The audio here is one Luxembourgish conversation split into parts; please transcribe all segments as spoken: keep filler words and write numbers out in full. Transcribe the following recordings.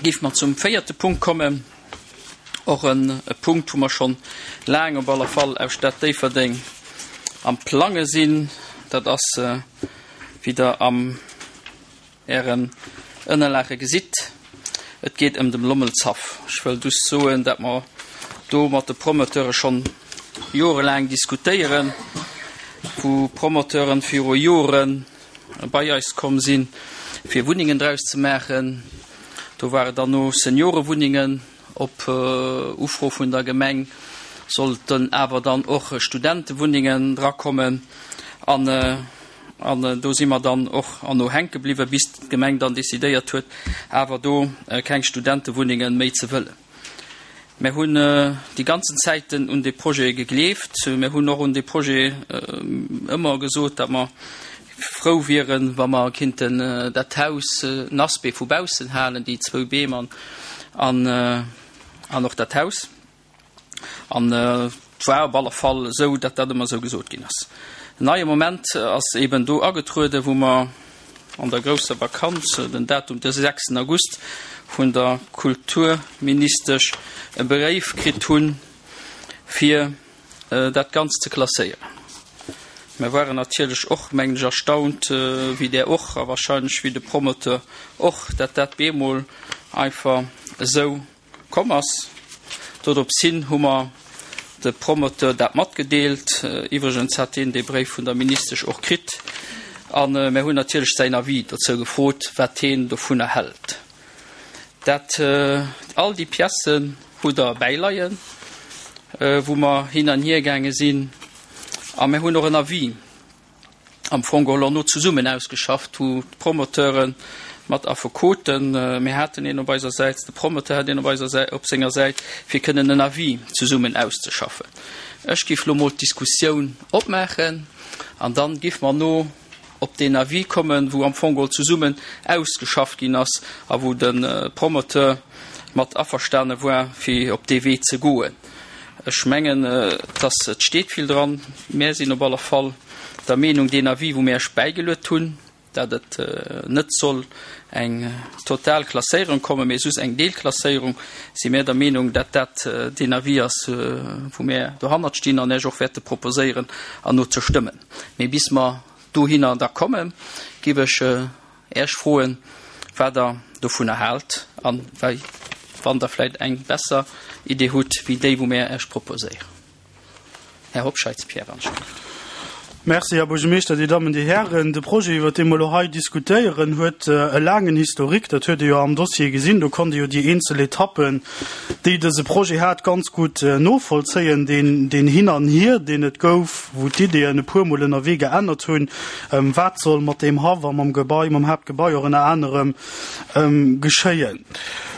Géife mer zum véierte Punkt kommen, och e Punkt, wou mer schonn laang op alle Fall aus Stad Déifferdeng am Plange sinn. Dat ass, wéi Der am Ären Ënnerlage gesitt, et geet ëm dem Lommelshaff. Ech wëll just soen, dat mer do mat de Promoteure schonn jorelaang diskutéieren, wou Promoteuren viru Jore bei eis komm sinn, fir Wunnengen draus ze maachen. Do war et dann no Seniorewunnengen. Op Ufro vun der Gemeng sollten awer dann och Studentewunnengen drakommen. An an do si mer dann och an no hänke bliwwen, bis d'Gemeng dann decidéiert huet, awer do keng Studentewunnenge méi ze wëllen. Mir hunn déi ganzen Zäiten un dee Projet gegleeft. Mir hunn och un dee Projet ëmmer gesot, datt mer frou wieren, wa mer kinnten dat Haus, den Aspect vu baussen halen, déi zwou Beem an an och dat Haus. An et war op alle Fall esou, datt dat ëmmer esou gesot ginn ass. En neie Moment ass eben do agetrueden, wou mer an der grousser Vakanz, den Datum de sechsten August, vun der Kulturministesch e Bréif kritt hunn, fir dat Ganzt ze klasséieren. Mir waren natierlech och, mengen ech, erstaunt, wéi Der och a wahrscheinlech wéi de Promoteur och, dat dat bemol einfach esou komm ass. Dodrops hin hu mer de Promoteur dat matgedeelt. Iwwregens hat hien dee Bréif vun der Ministesch och kritt. A mir hunn natierlech säin Avis dozou gefrot, wat hien dovunner hält. Dat, all déi Piècen hutt Der bäileien, wou mer hin an hier gaange sinn. A mir hunn och en Avis am Fong geholl no zesummen ausgeschafft, wou d'Promoteure mat Affekoten, mir haten een op eiser Säit, de Promoteur hat een op eiser Säit, op senger Säit, fir kënnen en Avis zesummen auszeschaffen. Ech géif elo mol d'Diskussioun opmaachen an dann géife mer no op deen Avis kommen, wou am Fong geholl zesummen ausgeschafft ginn ass a wou de Promoteur mat averstane war, fir op dee Wee ze goen. Ech mengen, dass et steet vill dran. Mär sinn op alle Fall der Meenung, deen Avis, wou mär Iech bäigeluet hunn, dat et net soll eng total Klasséierung kommen, mee just eng Deelklasséierung, si mär der Meenung, dat dat deen Avis ass, wou mär dohannert stinn an Iech och wäerte proposéieren an no ze stëmmen. Mee bis mer dohinner da kommen, géif ech Iech froen, wat Der dovunner haalt a wéi, wann Der vläicht eng besser Idee hutt wéi déi, wou mär Iech proposéieren. Här Hobscheit Pierre, anscheinend. Merci, Här Buergermeeschter, Dir Dammen, Dir Hären. De Projet, iwwert dee mer elo hei diskutéieren, huet e laangen Historique. Dat huet ee jo am Dossier gesinn. Do konnt ee jo déi eenzel Etappen, déi dëse Projet hat, ganz gutt novollzéien, deen, deen Hin an Hier, deen et gouf, wou d'Ideeën e puermol ënnerwee geännert hunn, wat soll mat deem Haff a mam Gebai, mam Haaptgebai och ënner anerem geschéien.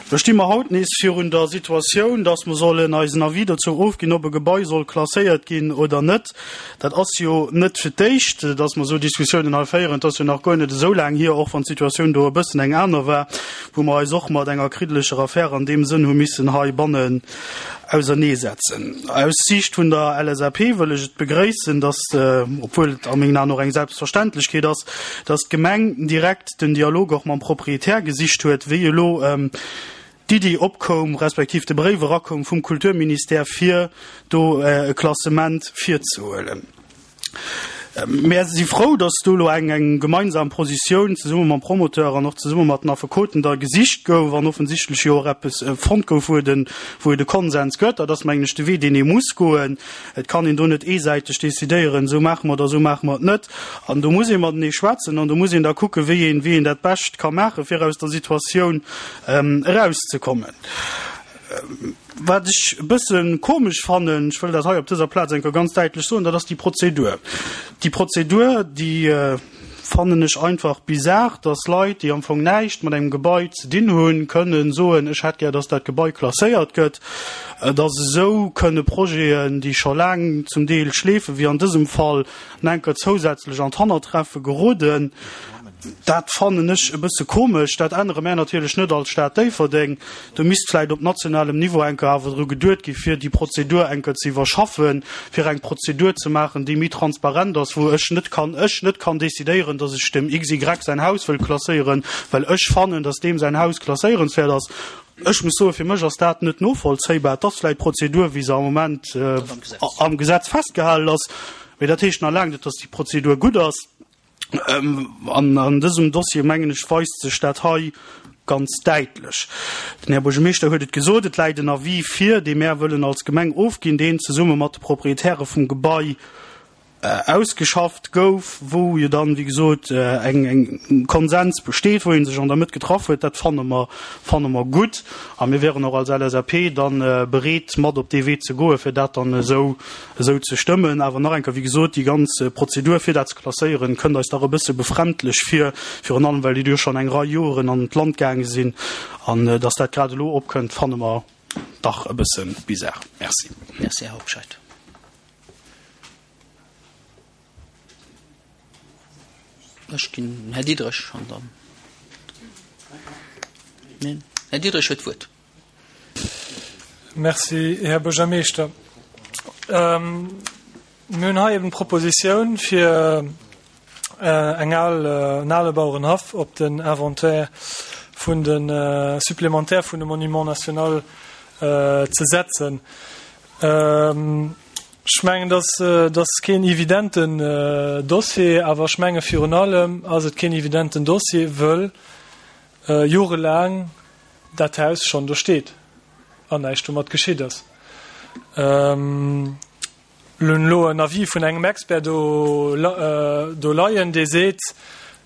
Do sti mer haut nees virun der Situatioun, dass mer sollen eisen Avis dozou ofginn, ob e Gebai soll klasséiert ginn oder net. Dat ass jo net fir d'éischt, dass mer esou Diskussiounen hei féieren. Et ass jo nach guer net esou laang hier, och wann d'Situatioun do e bëssen eng aner war, wou mer eis och mat enger kriddelecher Affär an deem Sënn hu missen heibannen auserneesetzen. Aus Siicht vun der L S A P wëll ech et begréissen, dass, obwuel et a mengen Aen och eng Selbstverständlechkeet ass, dass d'Gemeng direkt den Dialog och mam Proprietär gesicht huet, wéi elo d'Iddi opkoum, respektiv de Bréif erakoum vum Kulturministère, fir do e Klassement virzehuelen. Mär si frou, dass do elo eng eng gemeinsam Positioun zesumme mam Promoteur an och zesumme mat den Affekoten da gesicht gouf an offensichtlech jo och eppes fonnt gouf, wou et e wou et e Konsens gëtt. Dat ass, mengen ech, de Wee, deen ee muss goen. Et kann een do net eesäiteg decidéieren, esou maache mer et a esou maache mer et net. An do muss ee matenee schwätzen an do muss een da kucken, wéi een wéi een dat bescht ka maachen, fir aus der Situatioun erauszekommen. Wat ech e bësse komesch fannen, ech wëll dat hei op dëser Plaz eng Kéier ganz däitlech soen, dat ass déi Prozedur. Déi Prozedur, déi fannen ech einfach bizar, dass Leit, déi am Fong näischt mat engem Gebai ze dinn hunn, kënnen soen, ech hätt gär, dass dat Gebai klasséiert gëtt, dass esou kënne Projeten, déi scho laang zum Deel schleefen, wéi an dësem Fall, nach eng Kéier zousätzlech an d'Hannertreffe geroden. Dat fannen ech e bësse komesch. Dat ännere mär natierlech net als Stad Déifferdeng. Do misst vläicht op nationalem Niveau eng Kéier awer dru geduet gi fir déi Prozedur eng Kéier ze iwwerschaffen, fir eng Prozedur ze maachen, déi méi transparent ass, wou ech net kann, ech net kann decidéieren, dass ech dem XY säin Haus wëll klasséieren, well ech fannen, dass deem säin Haus klasséierenswäert ass. Ech muss soen, fir mech ass dat net novollzéibar. Et ass vläicht d'Prozedur, wéi se am Moment am Gesetz festgehalen ass, mee dat heescht nach laang net, dass déi Prozedur gutt ass. An an dësem Dossier, mengen ech, weist sech dat hei ganz däitlech. Den Här Buergermeeschter huet et gesot, et läit en Avis vir, dee mär wëllen als Gemeng ofginn, deen zesumme mat de Proprietäre vum Gebai ausgeschafft gouf, wou jo dann, wéi gesot, eng eng Konsens besteet, wou ee sech an der Mëtt getraff huet. Dat fanne mer, fanne mer gutt. A mir wären och als LSAP dann bereet, mat op dee Wee ze goen, fir dat dann esou esou ze stëmmen. Awer nach eng Kéier, wéi gesot, déi ganz Prozedur, fir dat ze klasséieren, kënnt eis dach e bësse befremdlech vir, virun allem well déi jo schonn eng Rei Joren an d'Land gaange sinn. An dass dat grad elo opkënnt, fanne mer dach e bësse bizar. Merci. Merci, Här Hobscheit. Ech ginn Här Diderich an dann. Neen, Här Diderich huet d'Wuert. Merci, Här Buergermeeschter. Mir hunn hei eben d'Propositioun, fir eng al, en ale Bauerenhaff op den Inventaire vun de supplémentaire vun de Monuments nationaux ze setzen. Ech mengen, dat ass keen evidenten Dossier, awer ech menge virun allem ass et keen evidenten Dossier, wëll jorelaang dat Haus schonn do steet an näischt domat geschitt ass. Mir hunn elo en Avis vun engem Expert do do leien, dee seet,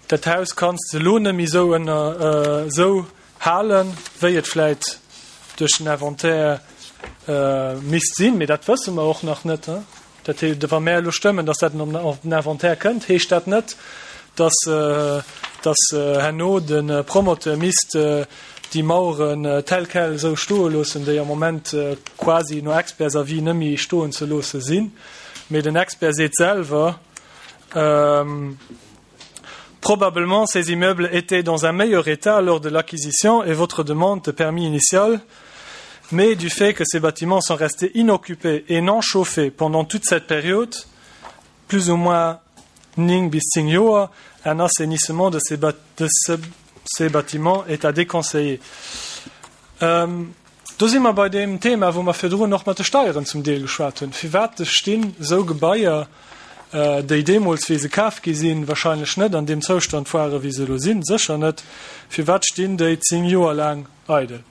dat Haus kanns de elo net méi esou ënner esou halen, wéi et vläit duerch den Inventaire misst sinn, mee dat wësse mer och nach net. Dat heescht, wa mär elo stëmmen, datt dat op den Inventaire kënnt, heescht dat net, datt, datt herno de Promoteur misst déi Maueren tel quel esou stoe loossen, déi am Moment quasi no Expertsavis net méi stoen ze loosse sinn. Mee den Expert seet selwer, Probablement ces immeubles étaient dans un meilleur état lors de l'acquisition et votre demande de permis initial, mais du fait que ces bâtiments sont restés inoccupés et non chauffés pendant toute cette période, plus ou moins ning bis zéng Joer, un assainissement de ces, de ce, ces bâtiments est à déconseiller. Ähm, do si mer bei deem Thema, wou mer virdrun och mat de Steieren zum Deel geschwat hunn. Firwat stinn esou Gebaier, déi deemools, wéi se kaf gi sinn, wahrscheinlech net an deem Zoustand waren, wéi se elo sinn, sécher net, firwat stinn déi zéng Joer laang eidel?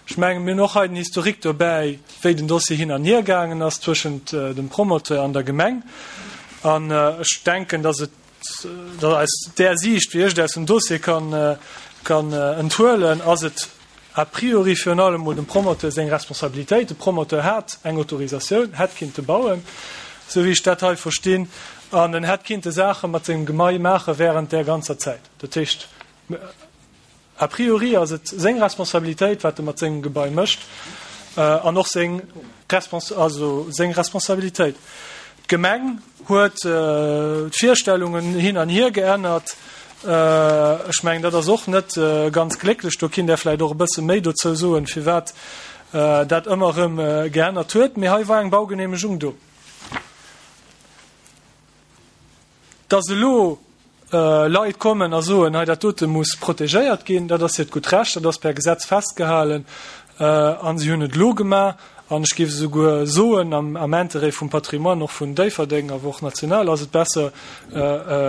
Ech mengen, mir hunn och hei den Historique dobäi, wéi den Dossier hin an hier gaangen ass zwëschent dem Promoteur an der Gemeng. An ech denken, dass et, dass aus där Siicht, wéi ech et aus dem Dossier kann, kann enthuelen, ass et a priori virun allem mol dem Promoteur seng Responsabilitéit. De Promoteur hat eng Autorisatioun, hätt kinnte bauen, esou wéi ech dat hei verstinn, an en hätt kinnte Saache mat sengem Gemai maache während där ganzer Zäit. Dat heescht, a priori ass et seng Responsabilitéit, wat e mat sengem Gebai mécht, an och seng Respons-, also seng Responsabilitéit. D'Gemeng huet d'Virstellungen hin an hier geännert. Ech mengen, dat ass och net ganz glécklech. Do kinnt Der vläicht och e bësse méi dozou soen, firwat dat ëmmer erëm geännert huet. Mee hei war eng Baugeneemegung do. Dass elo Leit kommen a soen, hei dat dote muss protegéiert ginn, dat ass hiert gutt Recht, dat ass per Gesetz festgehalen a si hunn et elo gemaach. An ech géif esouguer soen, am Interêt vum Patrimoine och vun Déifferdeng, awer och national, ass et besser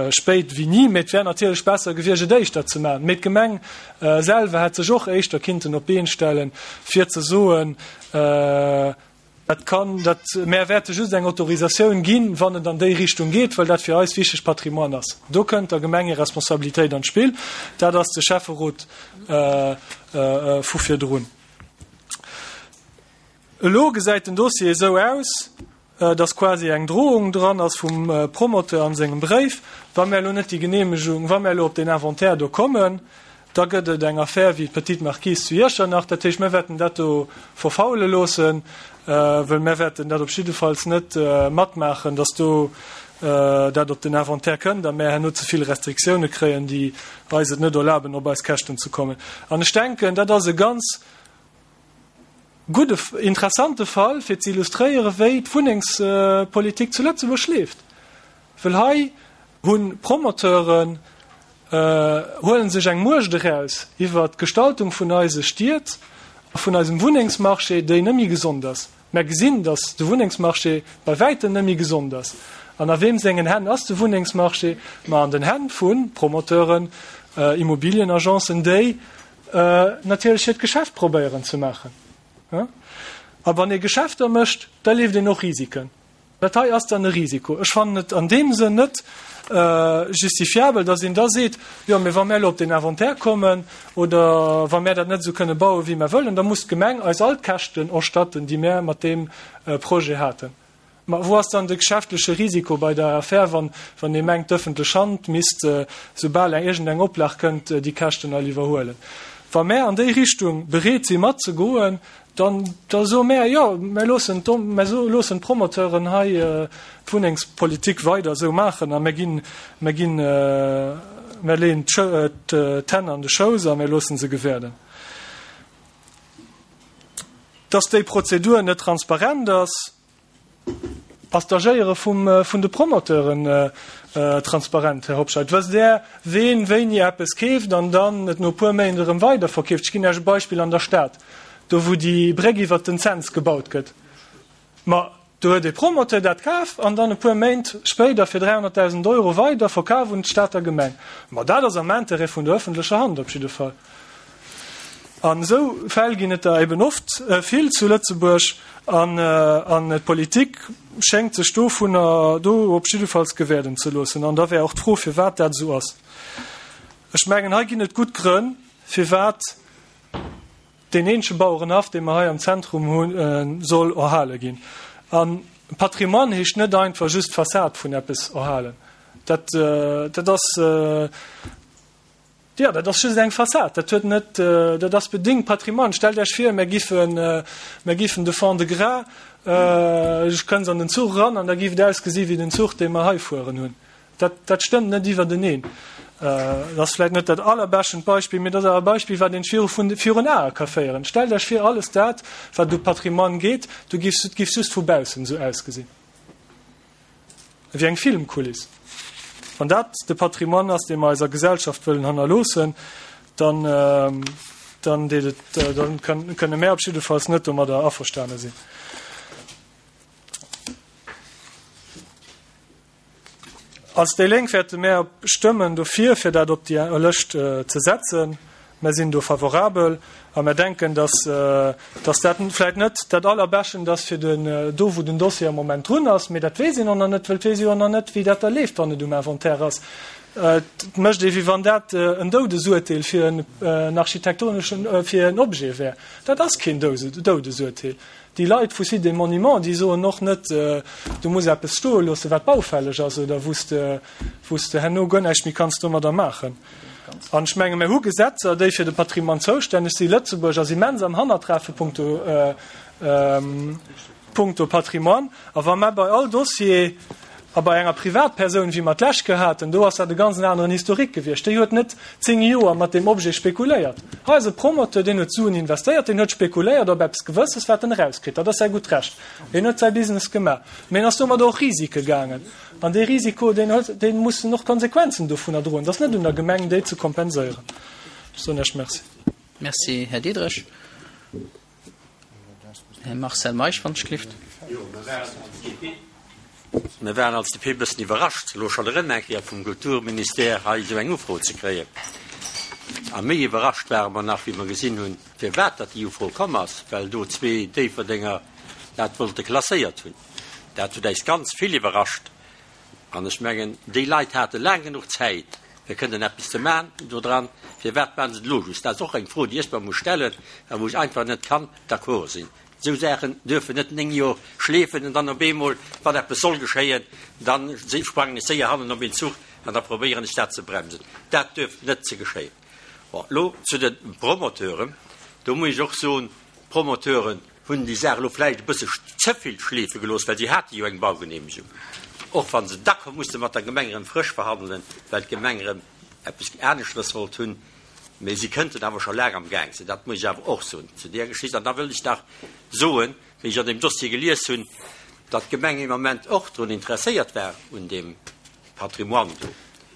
spéit wéi ni. Mee et wär natierlech besser gewiescht, et éischter ze maachen. Mee d'Gemeng selwer hätt sech och éischter kinnten op d'Been stellen, fir ze soen, dat kann, dat, mär wäerte just eng Autorisatioun ginn, wann et an déi Richtung geet, well dat fir eis wichteg Patrimoine ass. Do kënnt der Gemeng hir Responsabilitéit an d'Spill. Dat ass de Schäfferot vu virdrun. Elo gesäit den Dossier esou aus, dass quasi eng Drohung dran ass vum Promoteur an sengem Bréif, Wa mär elo net déi Genehmegung, wa mär elo op deen Inventaire do kommen, da gëtt et eng Affär wéi d'Petite Marquise zu Iechternach. Dat heescht, mir wäerten dat do verfaule loossen, well mär wäerten dat op jiddefalls net matmaachen, dass do dat op den Inventaire kënnt a mär herno ze vill Restriktioune kréien, déi eis et net erlaben, op eis Käschten ze kommen. An ech denken, dat ass e ganz gudde, interessante Fall, fir ze illustréieren, wéi d'Wunnengspolitik zu Lëtzebuerg leeft. Well hei hu Promoteuren, huele sech eng Muecht eraus iwwert d'Gestaltung vun eise Stied a vun eisem Wunnengsmarché, déi net méi gesond ass. Mär gesinn, datt de Wunnengsmarché bei wäitem net méi gesond ass. An a weem sengen Hänn ass de Wunnengsmarché? Ma an den Hänn vu Promoteuren, Immobilienagencen, déi natierlech hiert Geschäft probéieren ze maachen. A wann ee Geschäfter mécht, da leeft een och Risiken. Dat hei ass dann e Risiko. Ech fannen et an deem Sënn net justifiabel, datt een da seet, jo, mee wa mär elo op den Inventaire kommen oder wa mär dat net esou kënne bauen, wéi mär wëllen, da muss d'Gemeng eis all d'Käschten erstatten, déi mär mat deem Projet haten. Ma wou ass dann de geschäftleche Risiko bei der Affär, wann ee mengt, d'ëffentlech Hand misst, soubal eng iergendeng Oplag kënnt, déi Käschten all iwwerhuelen? Wa mär an déi Richtung bereet si matzegoen, dann da soe mär, jo, mär loossen mär loossen d'Promoteuren hei d'Wunnengspolitik weider esou maachen a mär ginn, mär ginn, mär leeën d'Hänn an de Schouss a mär loosse se gewäerden. Dass déi Prozedur net transparent ass, Ass d'Agéiere vun de Promoteuren transparent, Här Hobscheit? Wësst Där, ween wéini eppes keeft an dann et no e puer Méint erëm weiderverkeeft? Ech ginn Iech e Beispill an der Stad, do wou déi Bréck iwwert den Cents gebaut gëtt. Ma do huet ee Promoteur dat kaf an dann e puer Méint spéider fir dräihonnertdausend Euro weiderverkaf un d'Stater Gemeng. Ma dat ass am Intérêt vun der öffentlecher Hand op jidde Fall. An esou Fäll ginn et der eben oft vill zu Lëtzebuerg an d'Politik schéngt sech dovunner do op jiddefalls gewäerden ze loossen. An da wär och d'Fro, firwat dat esou ass. Ech mengen, hei ginn et gutt Grënn, firwat deen eenzege Bauerenhaff, dee mer hei am Zentrum hunn, soll erhale ginn. A Patrimoine heescht net einfach just d'Fassad vun eppes erhalen. Dat, dat ass. Jo, dat ass just eng Fassad, dat huet net, dat ass bedéngt Patrimoine. Stellt Iech vir, mär giffen, mär giffen de Fond-de-Gras, ech kënnst an den Zuch eran an da giff et ausgesi wéi den Zuch, dee mer hei fueren hunn. Dat, dat stëmmt net iwwerteneen. Dat ass vläicht net dat allerbeschtend Beispill, mee dat ass awer e Beispill, wat een viru vun, virun Ae ka féieren. Stellt Iech vir, alles dat, wat u Patrimoine geet, du giffs, et giff just vu baussen esou ausgesinn. Ewéi eng Filmkuliss. Wann dat de Patrimoine ass, dee mer eiser Gesellschaft wëllen hannerloossen, dann, dann deet et, dann kënne mär op jiddefalls net domadder averstane sinn. Als déi Lénk wäerte mär stëmmen dofir, fir dat op déi Lëscht ze setzen. Mär sinn do favorabel a mär denken, dass, dass dat vläicht net dat Allerbeschent ass fir den, do wou den Dossier am Moment drun ass, mee dat weess een och nach net, well et weess ee jo och nach net, wéi dat da leeft, wann et um Inventaire ass. Et mécht ee wéi wann dat en Doudesurteel fir en architektoneschen, fir en Objet wär. Dat ass keen Doudesurteel. Déi Leit vu Sites et Monuments, déi soen och net, du muss eppes stoe loossen, wat baufälleg ass oder wou s de, wou s de herno guer näischt méi kanns domadder maachen. An ech menge mir hu Gesetzer, déi fir de Patrimoine zoustänneg sinn. Lëtzebuerg ass immens am Hannertreffe punkto, punkto Patrimoine. A wa mer bei all Dossier a bei enger Privatpersoun, wéi mer d'lescht Kéier haten, do ass dat e ganz aneren Historique gewiescht, déi huet net zéng Joer mat deem Objet spekuléiert. Hei ass e Promoteur, deen huet Suen investéiert, deen huet spekuléiert op eppes Gewësses, wat en erauskritt. Dat ass säi gutt Recht. Hien huet säi Business gemaach. Mee en ass domadder och Risike gaangen. An dee Risiko, deen huet, dee muss en och d'Konsequenzen dovunner droen. Et ass net un der Gemeng, déi ze kompenséieren. Ech soen Iech Merci. Merci, Här Diderich. Här Marcel Meisch, wann ech gelift. Mir waren als D P e bëssen iwwerrascht, elo schonn erëm eng Kéier vum Kulturministère hei esou eng Ufro ze kréien. A méi iwwerrascht ware mer nach, wéi mer gesinn hunn, firwat datt déi Ufro komm ass, well do zwee Déifferdenger dat wollte klasséiert hunn. Dat huet äis ganz vill iwwerrascht. An ech mengen, déi Leit hate laang genuch Zäit, fir kënnen eppes ze maachen dodran. Firwat maachen se et elo just? Dat ass och eng Fro, déi ech mer muss stellen a wou ech einfach net kann d'accord sinn. Esou Saachen duerfen net néng Joer schleefen an dann op eemol, wann eppes soll geschéien, da sprangen ech séier hannen op een Zuch an da probéieren ech dat ze bremsen. Dat duerf net ze geschéien. Bon, elo zu de Promoteuren. Do muss ech och soen, d'Promoteuren hunn déi Saach elo vläicht e bësse ze vill schleefe gelooss, well si hate jo eng Baugenehmegung. Och wa se da musse mat der Gemeng erëm frësch verhandelen, well d'Gemeng erëm eppes aneschtes wollt hunn. Mee si kënnten awer scho laang am Gaang sinn, dat muss ech awer och soen zu där Geschicht. An da wëll ech nach soen, wéi ech an deem Dossier gelies hunn, datt d'Gemeng ee Moment och drun interesséiert war un deem Patrimoine do,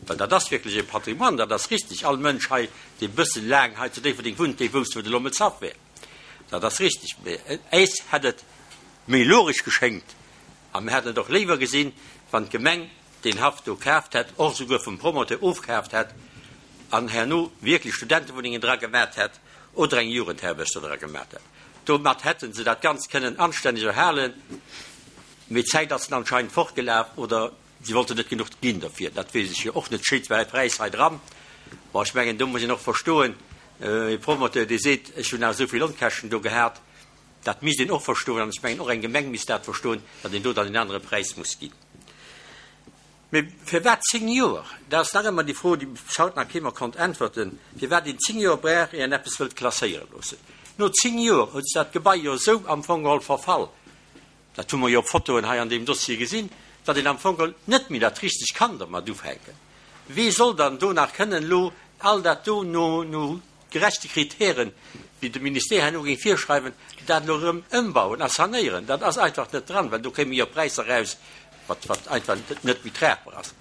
well dat ass wierklech e Patrimoine, dat ass richtig. All Mënsch hei, dee bësse laang hei zu Déifferdeng wunnt, dee wousst, wou de Lommelshaff wär. Dat ass richtig. Mee äis hätt et méi logesch geschéngt a mir hätten et och léiwer gesinn, wann d'Gemeng deen Haff do kaaft hätt, och esouguer vum Promoteur ofkaaft hätt an herno wierklech Studentewunnengen dra gemat hätt oder eng Jugendherberg do dra gemat hätt. Domat hätte se dat Ganzt kënnen anstänneg erhalen. Mee d'Zäit ass anscheinend fortgelaf oder si wollten net genuch ginn derfir. Dat weess ech jo och net. Steet zwar e Präis hei dran, ma ech mengen, do muss een och verstoen, e Promoteur, dee seet, ech hunn awer esou vill Onkäschten do gehat, dat misst een och verstoen. An ech mengen, och eng Gemeng misst dat verstoen, datt een do dann en anere Präis muss ginn. Mee firwat zéng Joer? Dat ass nach ëmmer déi Fro, déi bis haut nach kee mer konnt äntwerten, firwat een zéng Joer brauch, ier een eppes wëllt klasséiere loossen. No zéng Joer huet sech dat Gebai jo esou am Fong geholl verfall, dat hu mer jo op Fotoen hei an deem Dossier gesinn, datt een am Fong geholl net méi dat Richtegt kann dermat ufänken. Wee soll dann do nach kënnen elo all dat do no no gerechte Kritären, wéi de Ministère herno géing virschreiwen, dat elo erëm ëmbauen a sanéieren? Dat ass einfach net dran, well do kéime jo Präisser eraus, wat wat einfach net méi tragbar ass.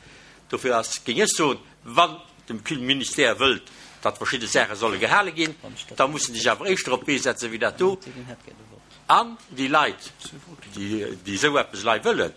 Dofir ass, géing ech soen, wann de Ministère wëllt, datt verschidde Saache solle gehale ginn, da muss en sech awer éischter op d'Bee setzen, wéi dat do. An déi Leit, déi esou eppes elei wëllen,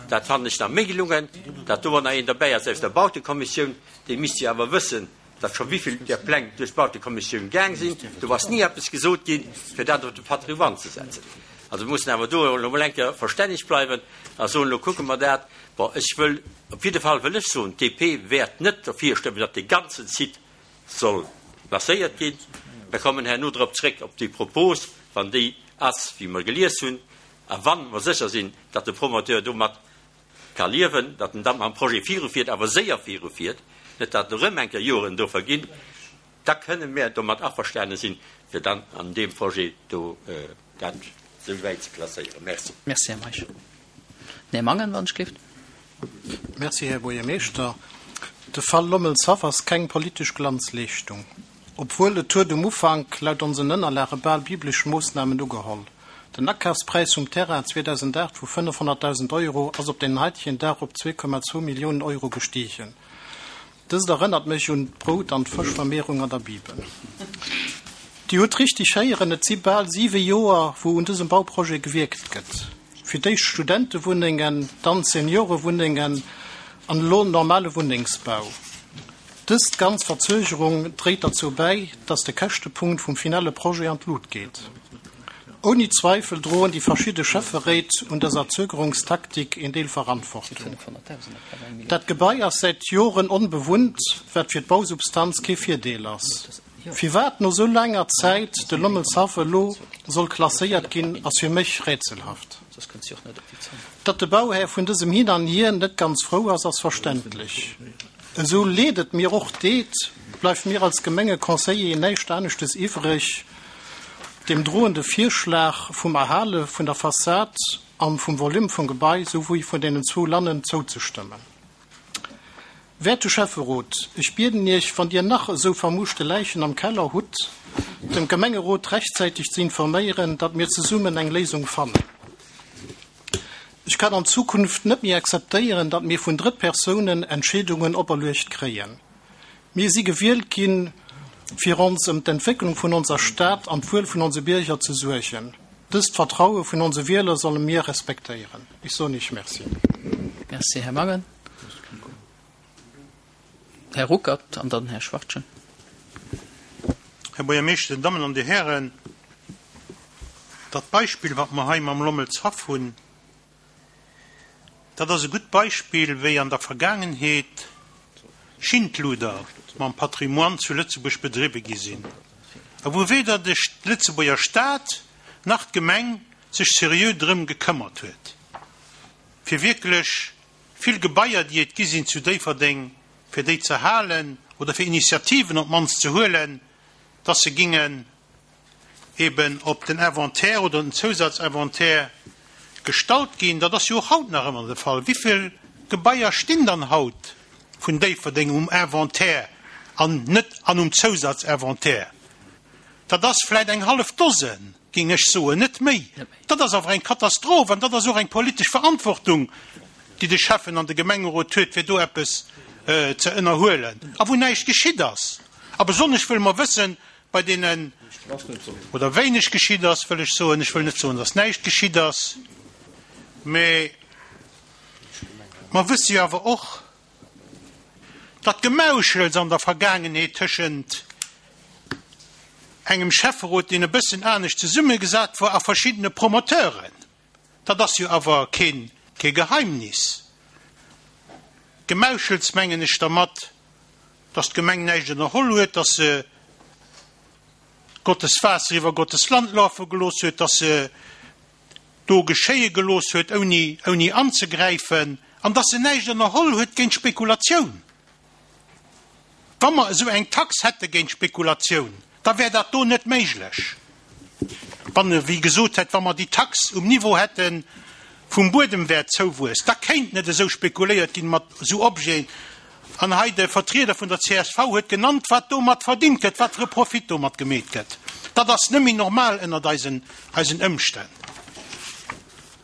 dat fannen ech nach méi gelungen, datt do nach een derbäi ass aus der Bautekommissioun, dee misst jo awer wëssen, datt scho wéivill där Pläng duerch d'Bautekommissioun gaang sinn. Do ass ni eppes gesot ginn, fir dat op de Patrimoine ze setzen. Also mir mussen awer do elo emol eng Kéier verstänneg bleiwen a soen, elo kucke mer dat. Bon, ech wëll, op jidde Fall wëll ech soen, d'DP wäert net derfir stëmmen, datt dee ganzen Site soll klasséiert ginn. Mir kommen herno drop zréck, op déi Propos, wann déi ass, wéi mer gelies hunn, a wa mer sécher sinn, datt de Promoteur domat ka liewen, datt en da mam Projet virufiert, awer séier virufiert, net datt erëm eng Kéier Joren do verginn, da kënne mir domat averstane sinn, fir dann an deem Projet do dat esou wäit ze klasséieren. Merci. Merci, Här Meisch. Den Här Mangen, wann ech gelift. Merci, Här Buergermeeschter. De Fall Lommelshaff ass keng politesch Glanzleeschtung. Obwuel, et huet um Ufank laut onsen Ënnerlage bal biblesch Moossnamen ugeholl. Den Akafspräis vum Terrain zweedausendacht vu fënnefhonnertdausend Euro ass op den haitegen Dag op zwee Komma zwou Milliounen Euro gestiegen. Dëst erënnert mech un d'Brout an d'Fëschvermehrung an der Bibel. Dir hutt richteg héieren, et si bal siwe Joer, wou un dësem Bauprojet gewierkt gëtt. Fir d'éischt Studentewunnengen, dann Seniorewunnengen an elo normale Wunnengsbau. Dës ganz Verzögerung dréit derzou bäi, dass de Käschtepunkt vum finale Projet an d'Lut geet. Ouni Zweifel droen déi verschidde Schäfferéit un dëser Zögerungstaktik een Deel Verantwortung. Dat Gebai ass säit Joren onbewunnt, wat fir d'Bausubstanz kee Virdeel ass. Firwat no sou laanger Zäit de Lommelshaff elo soll klasséiert ginn, ass fir mech rätselhaft. Datt de Bauhär vun dësem Hin an Hier net ganz frou ass, ass verständlech. Esou leed et mir och deet, bleift mir als Gemengeconseiller näischt aneschtes iwwreg, dem drohende Virschlag vum Erhale vun der Fassad an vum Volume vum Gebai souwéi vun deenen zwou Lannen zouzestëmmen. Wäerte Schäfferot, ech bieden Iech, wann Dir nach esou vermuuschte Läichen am Keller hutt, dem Gemengerot rechtzäiteg ze informéieren, datt mir zesummen eng Léisung fannen. Ech kann an Zukunft net méi akzeptéieren, datt mir vun Drëttpersounen Entscheedungen operluecht kréien. Mir si gewielt ginn, fir ons ëm d'Entwécklung vun onser Stad an d'Wuel vun onse Bierger ze suergen. Dëst Vertraue vun onse Wieler solle mir respektéieren. Ech soen Iech Merci. Merci, Här Mangen. Här Ruckert an dann Här Schwachtgen. Här Buergermeeschter, Dir Dammen an Dir Hären, dat Beispill, wat mer hei mam Lommelshaff hunn, dat ass e gutt Beispill, wéi an der Vergaangenheet Schindluder mam Patrimoine zu Lëtzebuerg bedriwwe gi sinn a wou weder de Lëtzebuerger Staat nach d'Gemeng sech seriö drëm gekëmmert huet, fir wierklech vill Gebaier, déi et gi sinn zu Déifferdeng, fir déi ze halen oder fir Initiativen op d'mannst ze huelen, dass se gingen eben op den Inventaire oder den Zousatzinventaire gestallt ginn. Dat ass jo och haut nach ëmmer de Fall. Wéi vill Gebaier stinn dann haut vun Déifferdeng um Inventaire an net an um Zousatzinventaire? Dat ass vläicht eng hallef Dosen, géing ech soen, net méi. Dat ass awer eng Katastroph an dat ass och eng politesch Verantwortung, déi de Schäffen an de Gemengerot huet, fir do eppes äh, ze ënnerhuelen. A wou näischt geschitt ass. A besonnesch wëlle mer wëssen, bei deenen oder wéineg geschitt ass, wëll ech soen, ech wëll net soen, dass näischt geschitt ass, mee mer wësse jo awer och, dat Gemauschels an der Vergaangenheet tëschent engem Schäfferot, deen e bëssen anescht zesummegesat war, a verschiddene Promoteuren. Dat ass jo awer keen, kee Geheimnis. Gemauschels mengen ech dermat, dass d'Gemeng näischt ënnerholl huet, dass se Gottes Waasser iwwer Gottes Land lafe gelooss huet, dass se do geschéie gelooss huet, ouni, ouni anzegräifen, an dass se näischt ënnerholl huet géint Spekulatioun. Wa mer esou eng Tax hätte géint Spekulatioun, da wär dat do net méiglech. Wann, wéi gesot hätt, wa mer déi Tax um Niveau hätte vum Buedemwäertzouwuess, da kéint net esou spekuléiert ginn mat esou Objeten. An hei de Vertrieder vun der C S V huet genannt, wat domat verdingt gëtt, wat fir e Profit domat gemeet gëtt. Dat ass net méi normal ënnert eisen, eisen Ëmstänn.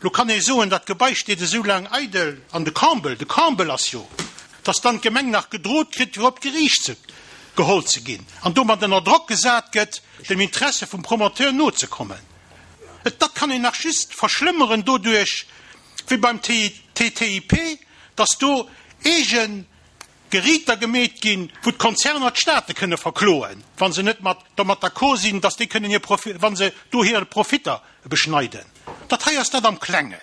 Lo kann ee soen, dat Gebai steet esou laang eidel an de Comble, de Comble ass jo, dass dann d'Gemeng nach gedroht kritt, fir op d'Geriicht ze geholl ze ginn. An domat ënner Drock gesat gëtt, dem Interesse vum Promoteur nozekommen. Et dat kann een nach just verschlëmmeren doduerch, wéi beim T T I P, dass do eege Geriiter gemeet ginn, wou d'Konzerner d'Staate kënne verkloen, wann se net mat domat d'accord sinn, dass déi kënnen hir Profi wann se do hir Profitter beschneiden. Dat hei ass dat am Klengen.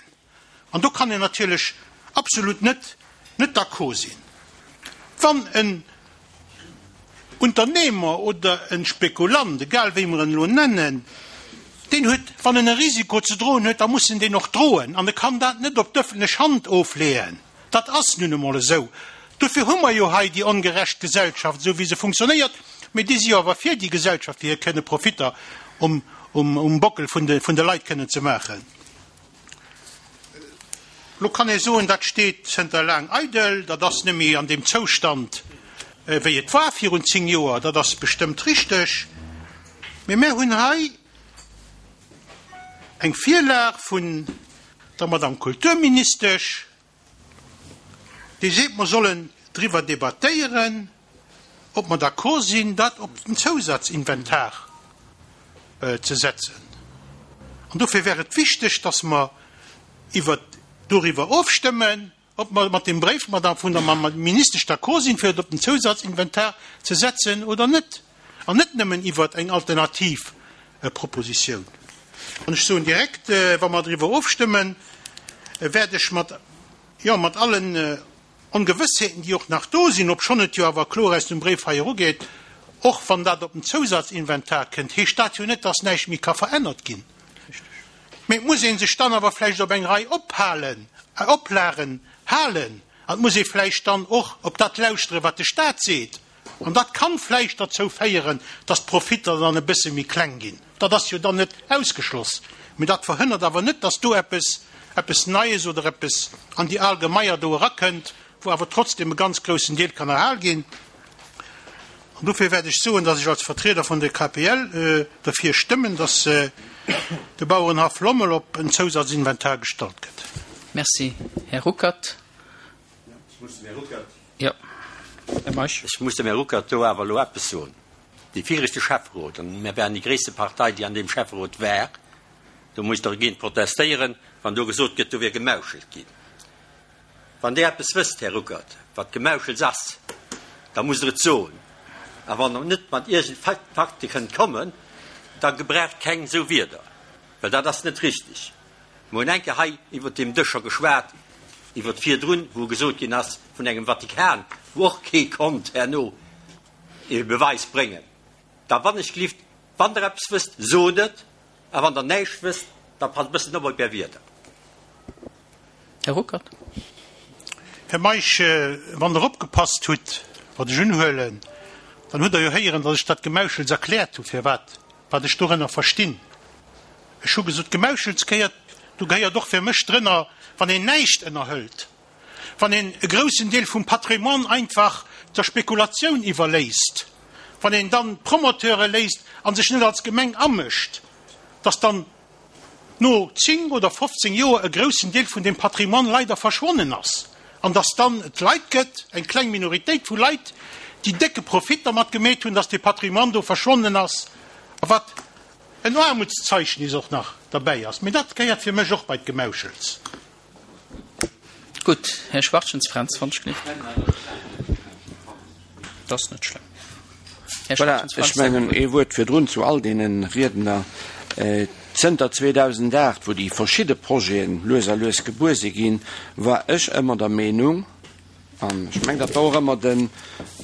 An do kann een natierlech absolut net net d'accord sinn. Wann en Unternehmer oder en Spekulant, egal wéi mer en lo nennen, deen huet, wann en e Risiko ze droen huet, da muss en deen och droen. An e kann dat net op d'ëffentlech Hand ofleeën. Dat ass nun emol esou. Dofir hu mer jo hei déi ongerecht Gesellschaft, esou wéi se funktionéiert, mee déi si awer fir déi Gesellschaft, fir kënne Profitter um, um, um Bockel vun de, vun de Leit kënnen ze maachen. Lo kann ee soen, dat steet zënter laang eidel, dat ass net méi an deem Zoustand, äh, wéi et war virun zéng Joer, dat ass bestëmmt richteg. Mee mir hunn hei eng Virlag vun der Madame Kulturministesch, déi seet, mer sollen driwwer debattéieren, ob mer d'accord sinn, dat op den Zousatzinventar äh, ze setzen. An dofir wär et wichteg, dass mer iwwer doriwwer ofstëmmen, ob mer mat deem Bréif Madame vun der Ministesch d'accord sinn, fir op den Zousatzinventar ze setzen oder net. An net nëmmen iwwer eng alternativ äh, Propositioun. An ech soen direkt, äh, wa mer driwwer ofstëmmen, äh, wäert ech mat, ja, mat allen äh, Ongewëssheeten, déi och nach do sinn, obschonn et jo awer kloer aus dem Bréif hei erugeet, och wann dat op den Zousatzinventar kënnt, heescht dat jo net, dass näischt méi ka verännert ginn. Mee muss een sech dann awer vläicht op eng Rei ophalen, äh, Oplagen halen, an muss ee vläicht dann och op dat lauschtere, wat de Staat seet. An dat kann vläicht dozou féieren, dass d'Profitter dann e bësse méi kleng ginn. Dat ass jo dann net ausgeschloss. Mee dat verhënnert awer net, dass do eppes, eppes Neies oder eppes an déi al Gemaier do erakënnt, wou awer trotzdem e ganz groussen Deel kann erhal ginn. An dofir wäert ech soen, dass ech als Vertrieder vun der K P L äh, dofir stëmmen, dass äh, de Bauerenhaff Lommel op en Zousatzinventar gestallt gëtt. Merci. Här Ruckert. Ja. Här Meisch. Ech muss dem Här Ruckert do awer lo eppes soen. De viregte Schäfferot, an mir waren déi gréisste Partei, déi an deem Schäfferot war, do muss dergéint protestéieren, wann do gesot gëtt, do wier gemauschelt ginn. Wann Dir eppes wësst, Här Ruckert, wat Gemauschels ass, da musst Dir et soen. A wann Der net mat iergend Fakte kënnt kommen, da gebraucht keng sou Wierder, well dat ass net richteg. Mir hunn eng Kéier hei iwwer deem Dësch scho geschwat, iwwer virdrun, wou gesot ginn ass vun engem Vatikan, wou och kee konnt herno e Beweis bréngen. Da wann ech gelift, wann Der eppes wësst, sot et, a wann Der näischt wësst, da passt bëssen op op Är Wierder. Här Ruckert. Här Meisch, äh, wann Der opgepasst hutt, wat ech unhuelen, dann hutt Der jo héieren, dass ech dat Gemauschels erkläert hu fir wat, wat ech dorënner verstinn. Ech hu gesot, Gemauschels gehéiert Do gehéiert och fir mech drënner, wann een näischt ënnerhëlt, wann een e groussen Deel vum Patrimoine einfach der Spekulatioun iwwerléisst, wann een dann Promoteure léisst a sech net als Gemeng amëscht, dass dann no zéng oder fofzéng Joer e groussen Deel vun deem Patrimoine leider verschwonnen ass an dass dann et Leit gëtt, eng kleng Minoritéit vu Leit, déi décke Profit dermat gemeet hunn, dass dee Patrimoine do verschwonnen ass a wat en Aarmutszeechnis och nach derbäi ass. Mee dat gehéiert fir mech och bei d'Gemauschels. Gutt, Här Schwachtgen Fränz, wann ech gelift. Dat ass net schlëmm. Här Voilà, Schwachtgen Fränz. Ech mengen, ee Wuert virdrun zu all deene Riedner. Zënter zweedausendacht, wou déi verschidde Projete lues a lues gebuer si ginn, war ech ëmmer der Meenung, an ech mengen, dat war och ëmmer den,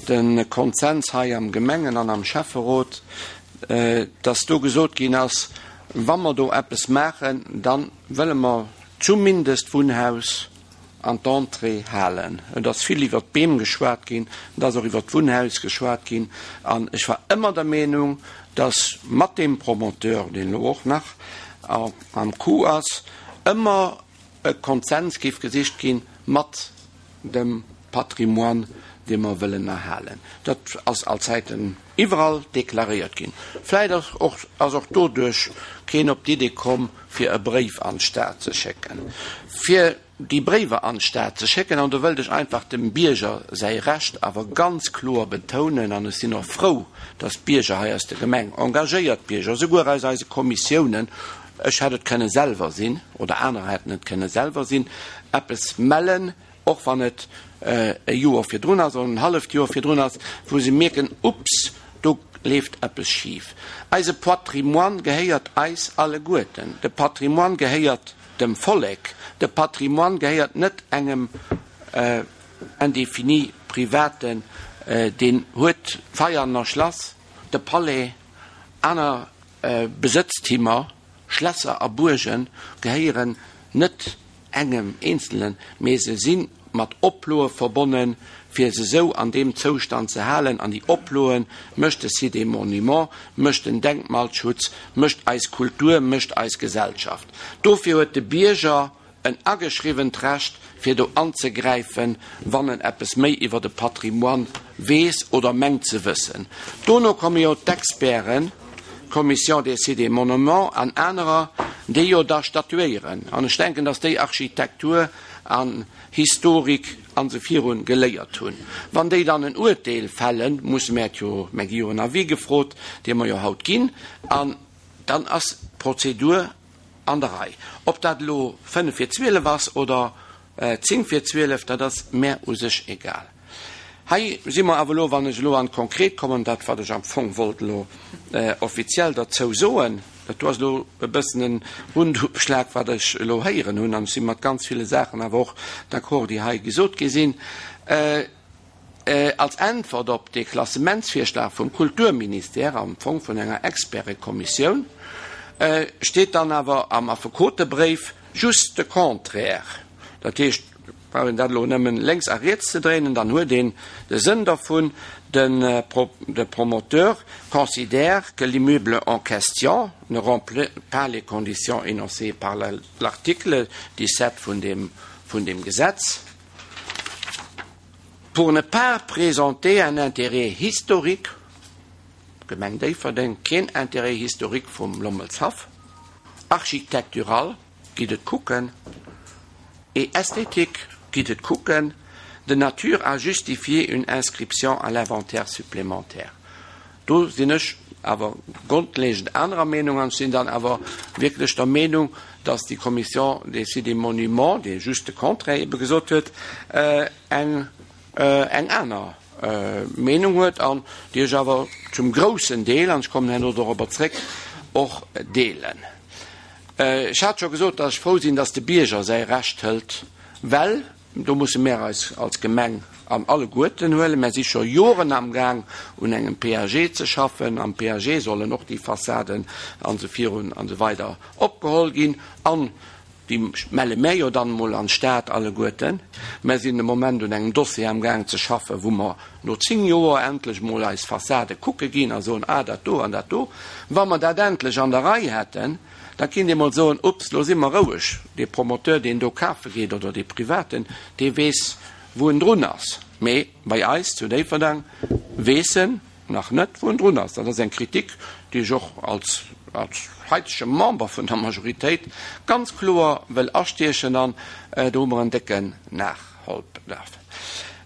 de Konsens hei am Gemengen an am Schäfferot, dass do gesot ginn ass, wa mer do eppes maachen, da wëlle mer zumindest d'Wunnhaus an d'Entrée halen. Et ass vill iwwert d'Beem geschwat ginn, et ass och iwwert d'Wunnhaus geschwat ginn, an ech war ëmmer der Meenung, dass mat deem Promoteur, deen elo och nach am Coup ass, ëmmer e Konsens géif gesicht gi mat dem Patrimoine, dee mer wëllen erhalen. Dat ass allzäiten iwwerall deklaréiert ginn. Vläicht ass och, ass och doduerch keen op d'Idee komm, fir e Bréif an d'Stad ze schécken. Fir déi Bréiwer an d'Stad ze schécken, an do wëllt ech einfach dem Bierger säi Recht awer ganz kloer betounen, an ech sinn och frou, dass d'Bierger hei aus der Gemeng, engagéiert Bierger, souguer aus eise Kommissiounen, ech hätt et kënne selwer sinn, oder anerer hätten et kënne selwer sinn, eppes mellen, och wann et e Joer virdrun ass oder en halleft Joer virdrun ass, wou se mierken, ups, do leeft eppes schif. Eise Patrimoine gehéiert eis alleguerten. De Patrimoine gehéiert dem Vollek. De Patrimoine gehéiert net engem indéfini Privaten, deen huet d'Veianer Schlass, de Palais, aner Besëtztimer, Schlässer a Buerge gehéieren net engem Eenzelnen, mee se si mat Oploe verbonnen, fir se esou an deem Zoustand ze halen. An déi Oploe mécht de Site des Monuments, mécht den Denkmalschutz, mécht eis Kultur, mécht eis Gesellschaft. Dofir huet de Bierger en ageschriwwent Recht, fir do anzegräifen, wann en eppes méi iwwer de Patrimoine weess oder mengt ze wëssen. Dono komme jo d'Experten, d'Commission des Sites et Monuments an anerer, déi jo da statuéieren. An ech denken, dass déi Architektur an Historik an esou virun geléiert hunn. Wann déi dann en Urteel fällen, musse mär et jo, mär gi jo en Avis gefrot, dee mer jo haut ginn, an dann ass d'Prozedur an der Rei. Ob dat elo fënnef vir zwielef ass oder zéng vir zwielef, dat ass mär u sech egal. Hei si mer awer elo, wann ech elo an d'Konkret kommen, dat wat ech am Fong wollt elo offiziell derzou soen, dat do ass elo e bëssen en Rundumschlag, wat ech elo héieren hunn, an ech si mat ganz ville Saachen awer och d'accord, déi hei gesot gi sinn, als Äntwert op dee Klassementsvirschlag vum Kulturministère, am Fong vun enger Expertekommissioun, steet dann awer am Affekotebréif just de Contraire. Dat heescht, brauch een dat elo nëmmen lénks a riets ze dréinen, dann huet een de Sënn dervun, De de promoteur considère que l'immeuble en question ne remplit pas les conditions énoncées par l'article dix-sept vun deem vun deem Gesetz pour ne pas présenter un intérêt historique, d'Gemeng Déifferdeng, keen Intérêt historique vum Lommelshaff, architectural, gitt et kucken, et esthétique, gitt et kucken, de nature à justifier une inscription à l'inventaire supplémentaire. Do sinn ech awer grondlegend anerer Meenung an ech sinn dann awer wierklech der Meenung, dass déi Commission des Sites et Monuments, déi just de Contraire ebe gesot huet, eng eng aner Meenung huet an déi ech awer zum groussen Deel, an ech kommen herno dorobber zréck, och deelen. Ech hat scho gesot, dass ech frou sinn, dass de Bierger säi Recht hëlt, well do musse mär eis als Gemeng an alleguerten huelen. Mär si scho Joren amgaang un engem P A G ze schaffen. Am P A G sollen och déi Fassaden an esou virun an esou weider opgeholl ginn. An Déi melle mär jo dann emol an d'Stad alleguerten. Mär sinn de Moment un engem Dossier amgaang ze schaffen, wou mer no zéng Joer endlech emol eis Fassade kucke ginn a soen, ah, dat do an dat do. Wa mer dat endlech an der Rei hätten, da kinnt ee mol soen, ups, lo si mer roueg. Dee Promoteur, deen do kafe geet, oder dee Privaten, dee weess, wou en drun ass. Mee bei eis zu Déifferdeng weess en nach net, wou en drun ass. Dat ass eng Kritik, déi ech och als als heitege Member vun der Majoritéit ganz kloer wëll astiechen an do hu mer en décken Nachholbedarf.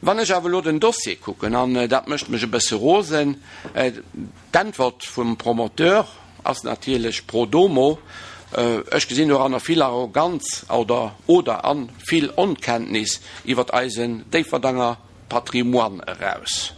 Wann ech awer elo den Dossier kucken, an dat mécht mech e bësse rosen, d'Äntwert vum Promoteur ass natierlech pro domo, ech gesinn doranner vill Arroganz oder oder a vill Onkenntnis iwwert eisen Déifferdanger Patrimoine eraus.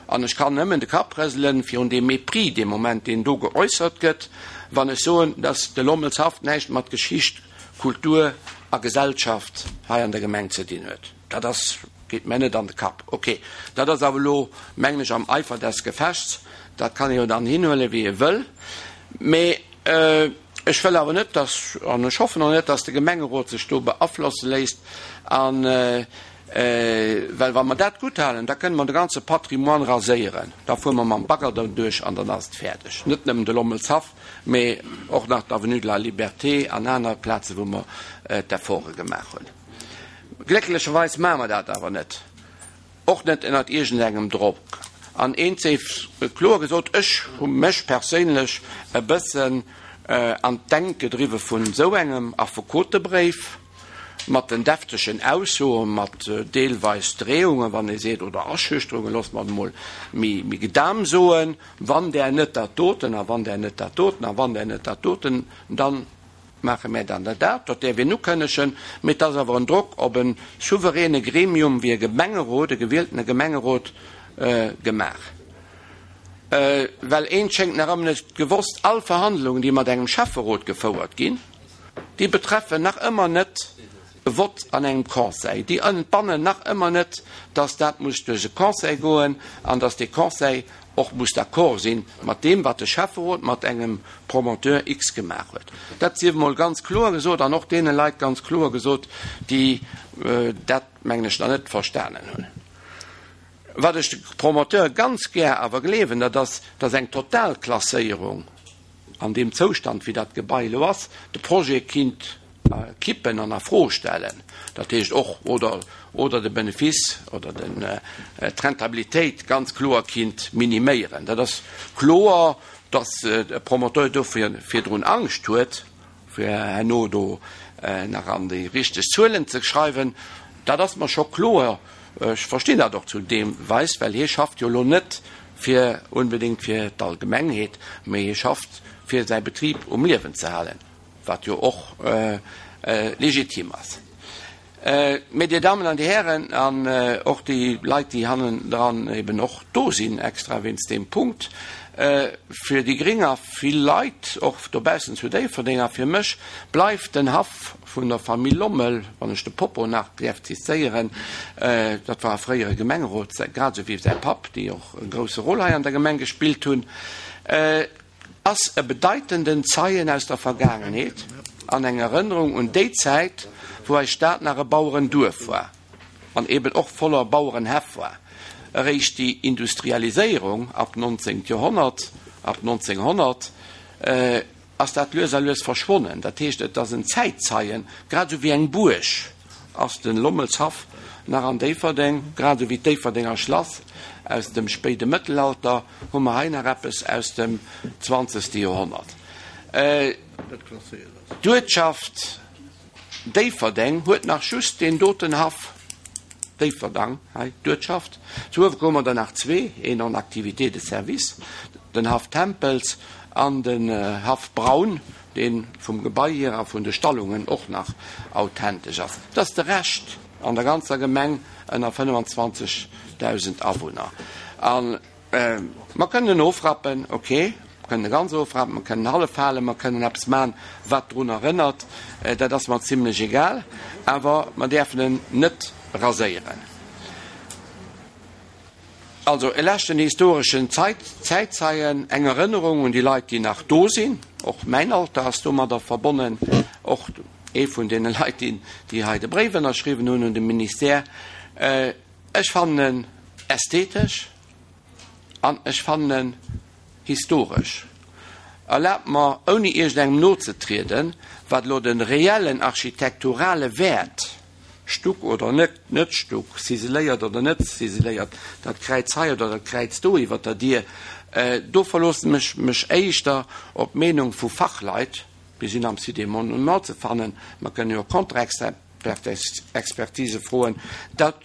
An ech kann nëmmen de Kapp rëselen virun deem Mépris dee Moment, deen do geäussert gëtt, wann ech soen, dass de Lommelshaff näischt mat Geschicht, Kultur a Gesellschaft hei an der Gemeng ze dinn huet. Dat ass, geet mär net an de Kapp. Ok, dat ass awer elo, mengen ech, am Eifer des Gefechts, dat kann ee jo dann hinhuelen, wéi ee wëll. Mee ech wëll awer net, dass, an ech hoffen och net, dass de Gemengerot sech do beaflosse léisst an, Well wa mer dat gutthalen, da kënne mer de ganze Patrimoine raséieren. Da fuere mer mam Bagger derduerch an dann ass et fäerdeg. Net nëmmen de Lommelshaff, mee och nach d'Avenue de la Liberté an aner Plazen, wou mer d'Efforte gemaach hunn. Glécklecherweis maache mer dat awer net, och net ënnert iergendengem Drock. An eent séif kloer gesot, ech hu mech perséinlech e bëssen an d'Enkt gedriwwe vun esou engem Affekotebréif, mat den deftegen Aussoen, mat deelweis Dreeungen, wann ee seet, oder Aschüchterungen, loosse mer et emol méi gedam soen, wann Der net dat doten a wann Der net dat doten a wann Der net dat doten, da maache mär dann dat dat. Dat däerf een ukënnegen, mee et ass awer en Drock op e souveräne Gremium wéi e Gemengerot, e gewieltene Gemengerot gemaach. Well eent schéngt nach ëmmer net gewosst, All Verhandlungen, déi mat engem Schäfferot gefouert ginn, déi betreffen nach ëmmer net e Vott an engem Conseil. Déi entbannen nach ëmmer net, dass dat muss duerch e Conseil goen an dass dee Conseil och muss d'accord si mat deem, wat de Schäfferot mat engem Promoteur X gemaach huet. Dat sief emol ganz kloer gesot an och deene Leit ganz kloer gesot, déi dat, mengen ech, nach net verstanen hunn. Wat ech de Promoteure ganz gär awer gleewen, dat ass, dass eng Totalklasséierung an deem Zoustand, wéi dat Gebai elo ass, de Projet kinnt kippen an a Fro stellen, dat heescht och, oder, oder de Benefice oder den, d'Rentabilitéit ganz kloer kinnt miniméieren. Dat ass kloer, dass e Promoteur dofir virdrun Angscht huet, fir herno do nach an déi richteg Zuelen ze schreiwen. Dat ass mer scho kloer. Ech verstinn dat och zu deem Weis, well hie schafft jo elo net fir unbedéngt fir d'Allgemengheet, mee hie schafft fir säi Betrib um Liewen ze halen, wat jo och legitim ass. Mee, Dir Dammen an Dir Hären, an och déi Leit, déi hannendran eben och do sinn, extra wéinst deem Punkt, fir déi Gring a vill Leit och dobaussen zu Déifferdeng a fir mech bleift den Haff vun der Famill Lommel, wann ech de Popo nach däerf zitéieren, dat war e fréiere Gemengerot, grad esou wéi säi Papp, déi och e grousse Rôle hei an der Gemeng gespillt hunn, ass e bedeitenden Zeien aus der Vergaangenheet an eng Erënnerung un déi Zäit, wou eis Stad nach e Bauerenduerf war an eben och voller Bauerenhäff war. Eréischt déi Industrialiséierung ab nonzéngt Joerhonnert, ab nonzénghonnert, ass dat lues a lues verschwonnen. Dat heescht, et ass en Zäitzeien, grad esou wéi eng Buerg ass de Lommelshaff nach an Déifferdeng, grad esou wéi d'Déifferdenger Schlass aus dem spéide Mëttelalter, hu mer hei nach eppes aus dem zwanzegste Joerhonnert. D'Uertschaft Déifferdeng huet nach just deen doten Haff, Déifferdang, hei d'Uertschaft. Zu Uewerkuer hu mer der nach zwee, een en activité de service, den Haff Tempels an den Haff Braun, dee vum Gebai hier a vun de Stallungen och nach authentesch ass. Dat ass de Rescht an der ganzer Gemeng ënner fënnefenzwanzegdausend Awunner. A mer kënnen en ofrappen, ok, mer kënnen e ganz ofrappen, mer kënnen en hallef halen, mer kënnen eppes maachen, wat drun erënnert, dat ass mer zimlech egal, awer mer däerfen en net raséieren. Also e leschten historeschen Zäitzeien, eng Erënnerung un déi Leit, déi nach do sinn, och mäin Alter ass domadder verbonnen, och ee vun deene Leit, déi hei de Bréif ënnerschriwwen hunn un de Ministère. Ech fannen en ästhetesch an ech fannen en historesch. Erlaabt mer, ouni iergendengem nozetrieden, wat elo de reellen architekturale Wäert, Stuck oder net net Stuck, ziseléiert oder net ziseléiert, dat Kräiz hei oder dat Kräiz do iwwert der Dier, do verloossen ech mech éischter op d'Meenung vu Fachleit, déi sinn am Site des Monuments ze fannen, mer kënnen jo Contre-expertise froen, dat